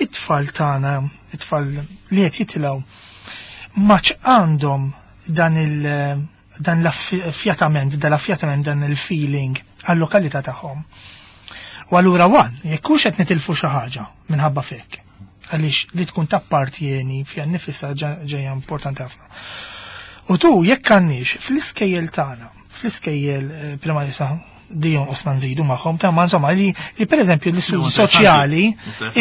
Speaker 1: it-tfal tagħna, it-tfal li qed jitilgħu, maċ għandhom dan il dan l-affjatament, dan l-affjatament, dan il-feeling għal-lokalità tagħhom. U allura wan, jekk hux qed nitilfu xi ħaġa minħabba fek, għaliex li tkun tappartieni fiha nnifisha ġejja importanti ħafna. U tu jekk għandniex fl-iskejjel tagħna, fl-iskejjel primarji sa dijon osna nżidu magħhom ta' ma insomma li, li pereżempju l-istudji soċjali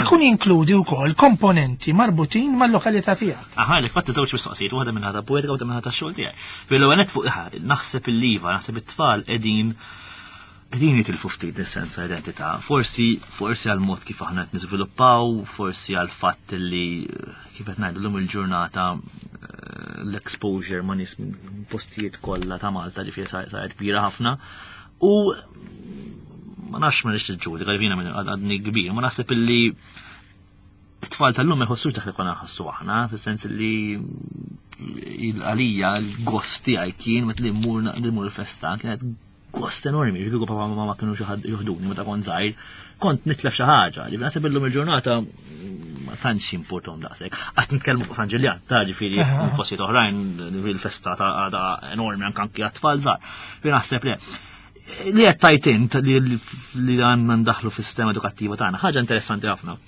Speaker 1: ikun jinkludi wkoll komponenti marbutin mal-lokalità tiegħek.
Speaker 2: Aha, li fatt żewġ mistoqsijiet, waħda minn ħata poetika u waħda minn ħata x-xogħol tiegħi. Fil-ewwel fuq naħseb il-liva, naħseb it-tfal qegħdin qegħdin jitilfu ftit is-sens ta' identità. Forsi forsi għal mod kif aħna qed niżviluppaw, forsi għal fatt li kif qed ngħidu llum il-ġurnata l-exposure ma' nies minn postijiet kollha ta' Malta ġifieri saret kbira ħafna. U ma nafx ma nix niġġudika, jiena minn għadni kbir, ma naħseb illi it-tfal tal-lum ma jħossux dak li konna nħossu aħna, fis-sens li għalija l-gost tiegħi kien meta li mmur li mmur il-festa kienet gost enormi, ġifieri papà u mamma kienu xi ħadd joħduni meta kont żgħir, kont nitlef xi ħaġa, ġifieri naħseb illum il-ġurnata ma tantx importom daqshekk. Qatt nitkellmu fuq San Ġiljan, ta' ġifieri postijiet oħrajn il-festa ta' għadha enormi anke anke għat-tfal żgħar. Ġifieri naħseb le. Li qed tajt int li għandna ndaħlu fis-sistema edukattiva tagħna, ħaġa interessanti ħafna.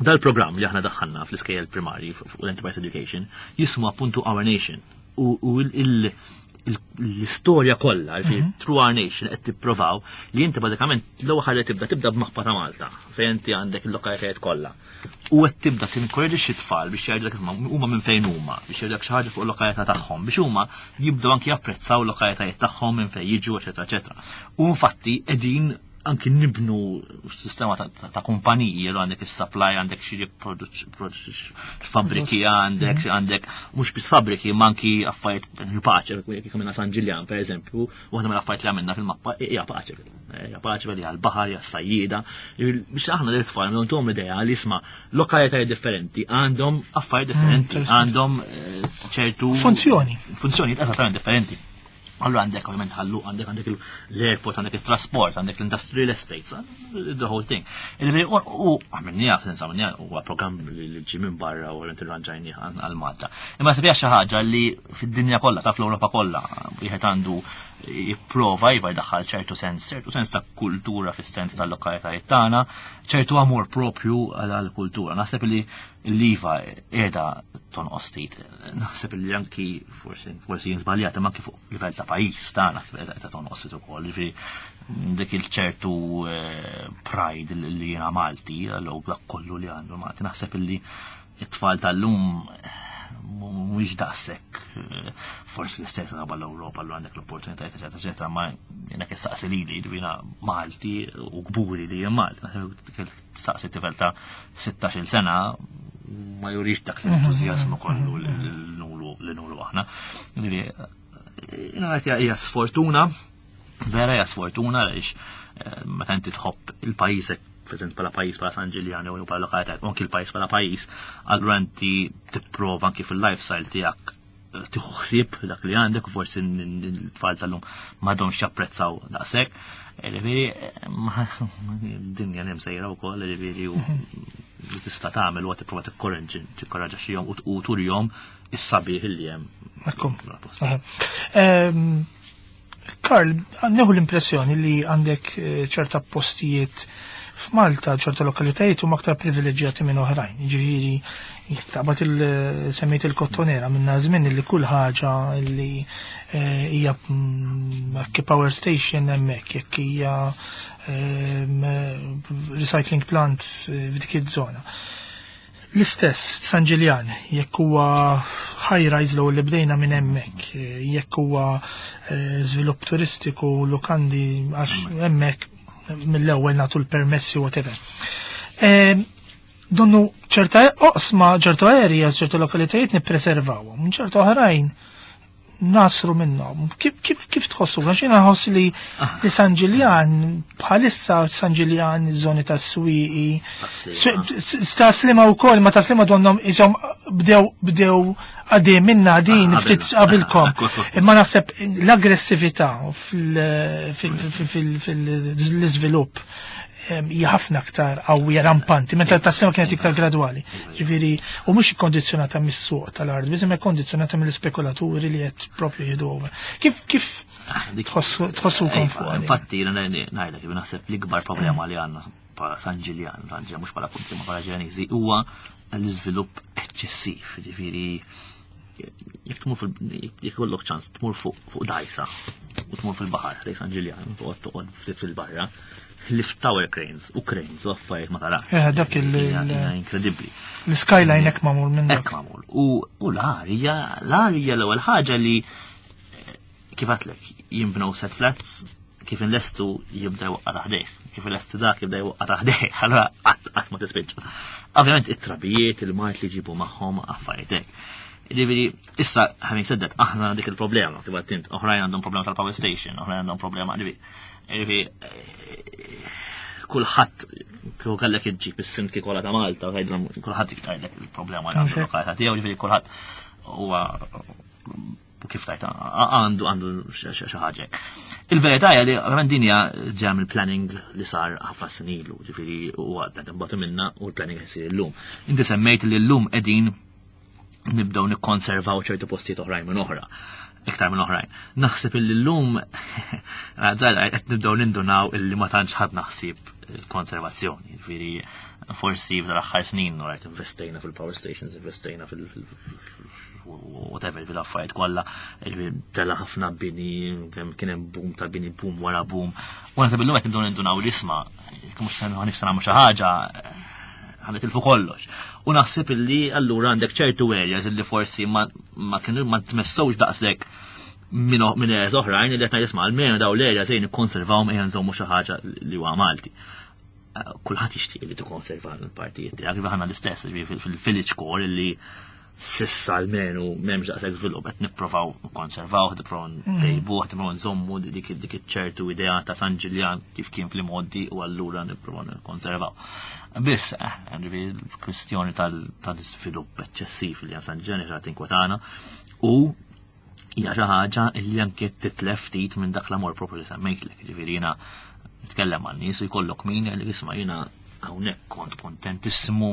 Speaker 2: Dal-programm li aħna daħħalna fl-iskejjel primarji fuq l-Enterprise Education jismu appuntu Our Nation u l-istorja kollha, ġifieri Through Our Nation qed tipprovaw li inti bażikament l-ewwel ħaġa tibda tibda b'mappa ta' Malta fejn inti għandek il-lokalitajiet kollha. U qed tibda tinkoraġixxi t-tfal biex jgħidulek isma' huma minn fejn huma, biex jgħidulek xi ħaġa fuq il-lokalità tagħhom, biex huma jibdew anki japprezzaw l-lokalitajiet tagħhom minn fejn jiġu, eċetera, eċetera. U infatti qegħdin anki nibnu sistema ta' kumpaniji, li għandek is-supply, għandek xi fabbriki, għandek għandek mhux biss fabbriki, ma anki affarijiet paċe, kif għamilna San Ġiljan pereżempju, waħda mill-affarijiet li għamilna fil-mappa hija paċe, hija paċe li għall-baħar, hija s-sajjieda, biex aħna lil tfal nagħtuhom idea li isma' lokalitajiet differenti għandhom affarijiet differenti, għandhom ċertu
Speaker 1: funzjoni.
Speaker 2: Funzjonijiet eżattament differenti. Allura għandek ovvjament ħallu, għandek għandek l-airport, għandek il-trasport, għandek l-industrial estates, the whole thing. U għamilniha, senza għamilniha, huwa programm li ġie minn barra u irranġajnieh għal Malta. Imma sebija xi ħaġa li fid-dinja kollha, ta' fl-Ewropa kollha, wieħed għandu jipprova iva jdaħħal ċertu sens, ċertu sens ta' kultura fis-sens tal-lokalitajiet tagħna, ċertu amor propju għall-kultura. Naħseb li l-iva qiegħda tonqos ftit. Naħseb li anki forsi forsi jien żbaljat, imma anki fuq livell ta' pajjiż tagħna qiegħda tonqos ftit ukoll. Ġifieri dik il-ċertu pride li jiena Malti, jew dak kollu li għandu Malti, naħseb li t-tfal tal-lum mhuwiex daqshekk forsi l-istess qabel l-Ewropa li għandek l-opportunitajiet eċetera eċetera, ma jiena kif saqsi lili jiena Malti u kburi li jien Malti, saqsi tifel ta' sittax-il sena ma jurix dak l-entużjażmu kollu li nuru aħna. Jiena hija sfortuna, vera hija sfortuna għaliex meta inti tħobb il-pajjiżek fil-sens bħala pajjiż, bħala San Ġiljan jew bħala lokalità, u anki l-pajjiż bħala pajjiż, allura inti tipprova anki fil-lifestyle tiegħek eh, tieħu ħsieb dak li għandek u forsi n-tfal tal-lum m'għadhomx japprezzaw daqshekk. Ġifieri, dinja li msejra wkoll, ġifieri, u li tista' tagħmel huwa tipprova tikkoraġġixxihom u turihom is-sabiħ li hemm.
Speaker 1: Ekku. Ehm, Karl, nieħu l-impressjoni li għandek eh, ċerta postijiet f'Malta, ċerta lokalitajiet huma aktar privileġġjati minn oħrajn. Ġifieri, jekk taqbad il-semmejt il-Kottonera minna żmien li kull ħaġa li eh, hija mm, power station hemmhekk, jekk hija ehm, recycling plant eh, f'dik iż-żona. L-istess, San Ġiljan, jekk huwa high rise l li bdejna minn hemmhekk, jekk huwa eh, żvilupp turistiku, lukandi, għax hemmhekk mill-ewwel nagħtu l-permessi, whatever. Eh, donnu ċerta oqsma, ċerta areas, ċerta lokalitajiet nippreservawhom, ċerta oħrajn nasru minnhom. Kif kif kif tħossu? Għax jiena nħoss li li San Ġiljan bħalissa, San Ġiljan, iż-żoni tas-Swieqi, Tas-Sliema wkoll, ma Tas-Sliema donhom iżhom bdew bdew għadej minna din ftit qabilkom. Imma naħseb l-aggressività fil-iżvilupp hija ħafna aktar qawwija, rampanti, mentre Tas-Sliema kienet iktar gradwali. Ġifieri, u mhux ikkondizzjonata mis-suq tal-art, biss imma kkondizzjonata mill-ispekulaturi li qed propju jieħdu over. Kif kif tħossukom fuq?
Speaker 2: Infatti, ngħidlek, naħseb l-ikbar problema li għandna bħala San Ġiljan, San Ġiljan mhux bħala Punzi ma bħala Ġilaniżi, huwa l-iżvilupp eċċessiv, ġifieri jekk tmur fil jekk ikollok ċans tmur fuq fuq dajsa u tmur fil-baħar lejn San Ġiljan, toqgħod toqgħod ftit fil-barra, lift tower cranes u cranes u affarijiet ma tarax.
Speaker 1: Eh, dak il-
Speaker 2: Inkredibbli.
Speaker 1: L-skyline hekk magħmul minn dak.
Speaker 2: Hekk magħmul. U u l-arja, l-arja l-ewwel ħaġa li eh, kif għedtlek jinbnew set flats, kif inlestu jibda jwaqqa' taħdejh, kif inlestu dak jibda jwaqqa' taħdejh, allura qatt qatt ma tispiċċa. Ovvjament it-trabijiet, il-mard li jġibu magħhom, affarijiet hekk. Ġifieri, issa, having said that, aħna dik il-problema, kif għedt int, oħrajn għandhom problema tal-power station, oħrajn għandhom problema, ġifieri, ġifieri, kulħadd kieku kellek iġġib is-sindki kollha ta' Malta, u tgħidilhom, kulħadd jgħidlek il-problema li għandu lokalità tiegħu, ġifieri kulħadd huwa kif tajt għandu għandu xi ħaġa. Il-verità hija li ovvjament din hija ġeja mill-planning li sar ħafna snin ilu, ġifieri huwa qed imbagħtu minna u l-planning qed isir illum. Inti semmejt li llum qegħdin nibdew nikkonservaw ċertu postijiet oħrajn minn oħra, iktar minn oħrajn. Naħseb illi llum qed nibdew nindunaw illi ma tantx ħadd ħsieb il-konservazzjoni. Ġifieri forsi f'dal aħħar snin rajt investejna fil-power stations, investejna fil- whatever, fil-affarijiet kollha, tela ħafna bini, kemm kien hemm boom ta' bini, boom wara boom. U naħseb illum qed nibdew nindunaw li isma' jekk mhux se nifsa nagħmlu xi ħaġa, ħa nitilfu kollox. U naħseb illi allura għandek ċertu areas illi forsi ma ma kienu ma tmessewx daqshekk minn minn areas oħrajn li qed jisma' almenu daw l-areas ejn nikkonservawhom, ejja nżommu xi ħaġa li huwa Malti. Kulħadd jixtieq li tikkonserva l-partijiet tiegħek, kif aħna l-istess fil-village core li s'issa almenu m'hemmx daqshekk żvilupp, qed nipprovaw nikkonservaw, qed nipprovaw ntejbuh, qed nipprovaw nżommu dik dik iċ-ċertu idea ta' San Ġiljan kif kien fl-imgħoddi u allura nipprovaw nikkonservaw. Biss, eh, ġifieri l-kwistjoni tal-iżvilupp eċċessiv li hemm San Ġiljan hija tinkwetana u hija xi ħaġa li anke titlef ftit minn dak l-amor propju li semmejtlek, ġifieri jiena nitkellem man nies u jkollok min li jisma' jiena hawnhekk kont kontentissimu,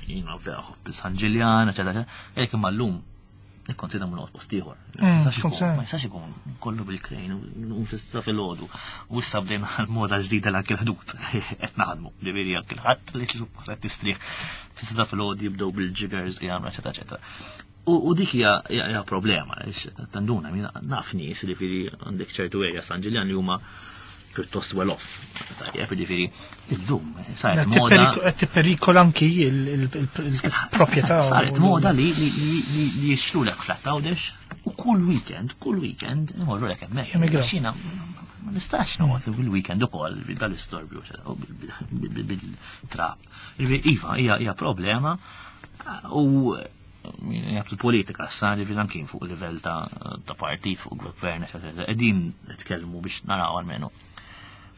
Speaker 2: jiena vera ħobb San Ġiljan, eċetera, eċetera. Imma llum nikkonsidra minn post ieħor.
Speaker 1: Mm,
Speaker 2: Ma jistax ikun kollu bil-krejn u fissa filgħodu. U issa bdejna l-moda ġdida l il-ħdud qed naħdmu. Ġifieri anke l-ħadd li suppost qed tistrieħ fis-sitta filgħodu jibdew bil-jiggers jagħmlu, eċetera, eċetera. U dik hija problema, tanduna, naf nies li ġifieri għandek ċertu area San Ġiljan li huma pjuttost well off. Tajjeb, ġifieri, illum saret moda.
Speaker 1: Qed tipperikola anki il-proprjetà.
Speaker 2: Saret moda li li jixtru lek flat Għawdex u kull weekend, kull weekend, imorru lek hemmhekk. Xina, ma nistax noqgħod fil-weekend ukoll bil-istorbju bil-trab. Iva, hija problema u jgħab il-politika sa li anki fuq livell ta' partit, fuq gvern, qegħdin nitkellmu biex naraw almenu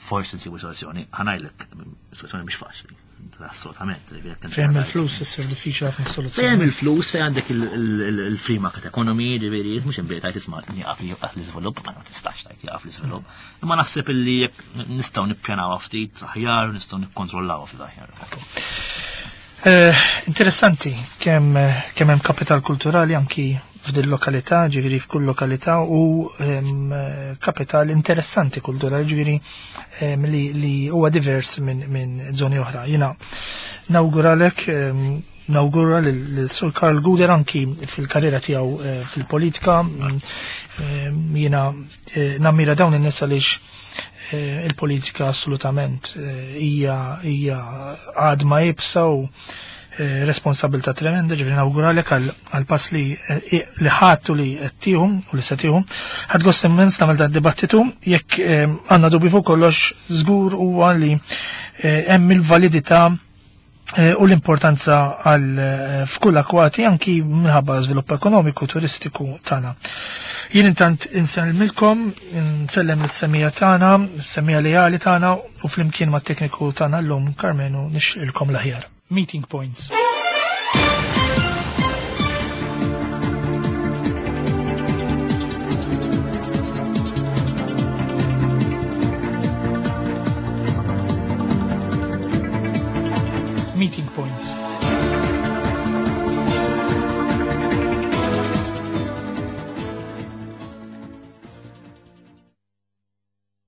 Speaker 2: Forsi nsibu soluzzjoni, ħa ngħidlek, soluzzjoni mhix faċli. Assolutament.
Speaker 1: Fejn il-flus issir diffiċli ħafna soluzzjoni.
Speaker 2: Fejn il-flus, fejn għandek il-free market economy, ġifieri, mhux imbejt tgħid isma' nieqaf li jieqaf l-iżvilupp, ma tistax tgħid jieqaf l-iżvilupp. Imma naħseb illi jekk nistgħu nippjanaw ftit aħjar, nistgħu nikkontrollaw ftit aħjar.
Speaker 1: Eh, interessanti kemm kemm hemm kapital kulturali anki f'din lokalità, ġifieri f'kull lokalità u kapital interessanti kulturali, ġifieri li, li huwa divers minn min żoni oħra. Jiena nawguralek, nawgura lil Sur Karl Gouder anki fil-karriera tiegħu eh, fil-politika. Jiena eh, nammira dawn in-nies għaliex eh, il-politika assolutament hija hija għadma iebsa u responsabilità tremenda, ġifieri nawguralek għal pass li li ħadtu li qed tieħu u li se tieħu. Ħadt gost immens nagħmel dan dibattitu, jekk għandna dubju fuq kollox żgur huwa li hemm il-validità u l-importanza għal f'kull akwati anki minħabba żvilupp ekonomiku turistiku tagħna. Jien intant insellmilkom, nsellem lis-semija tagħna, s-semija leali tagħna u flimkien mat-tekniku tagħna llum Karmenu nixilkom l-aħjar. Meeting Points. Meeting Points.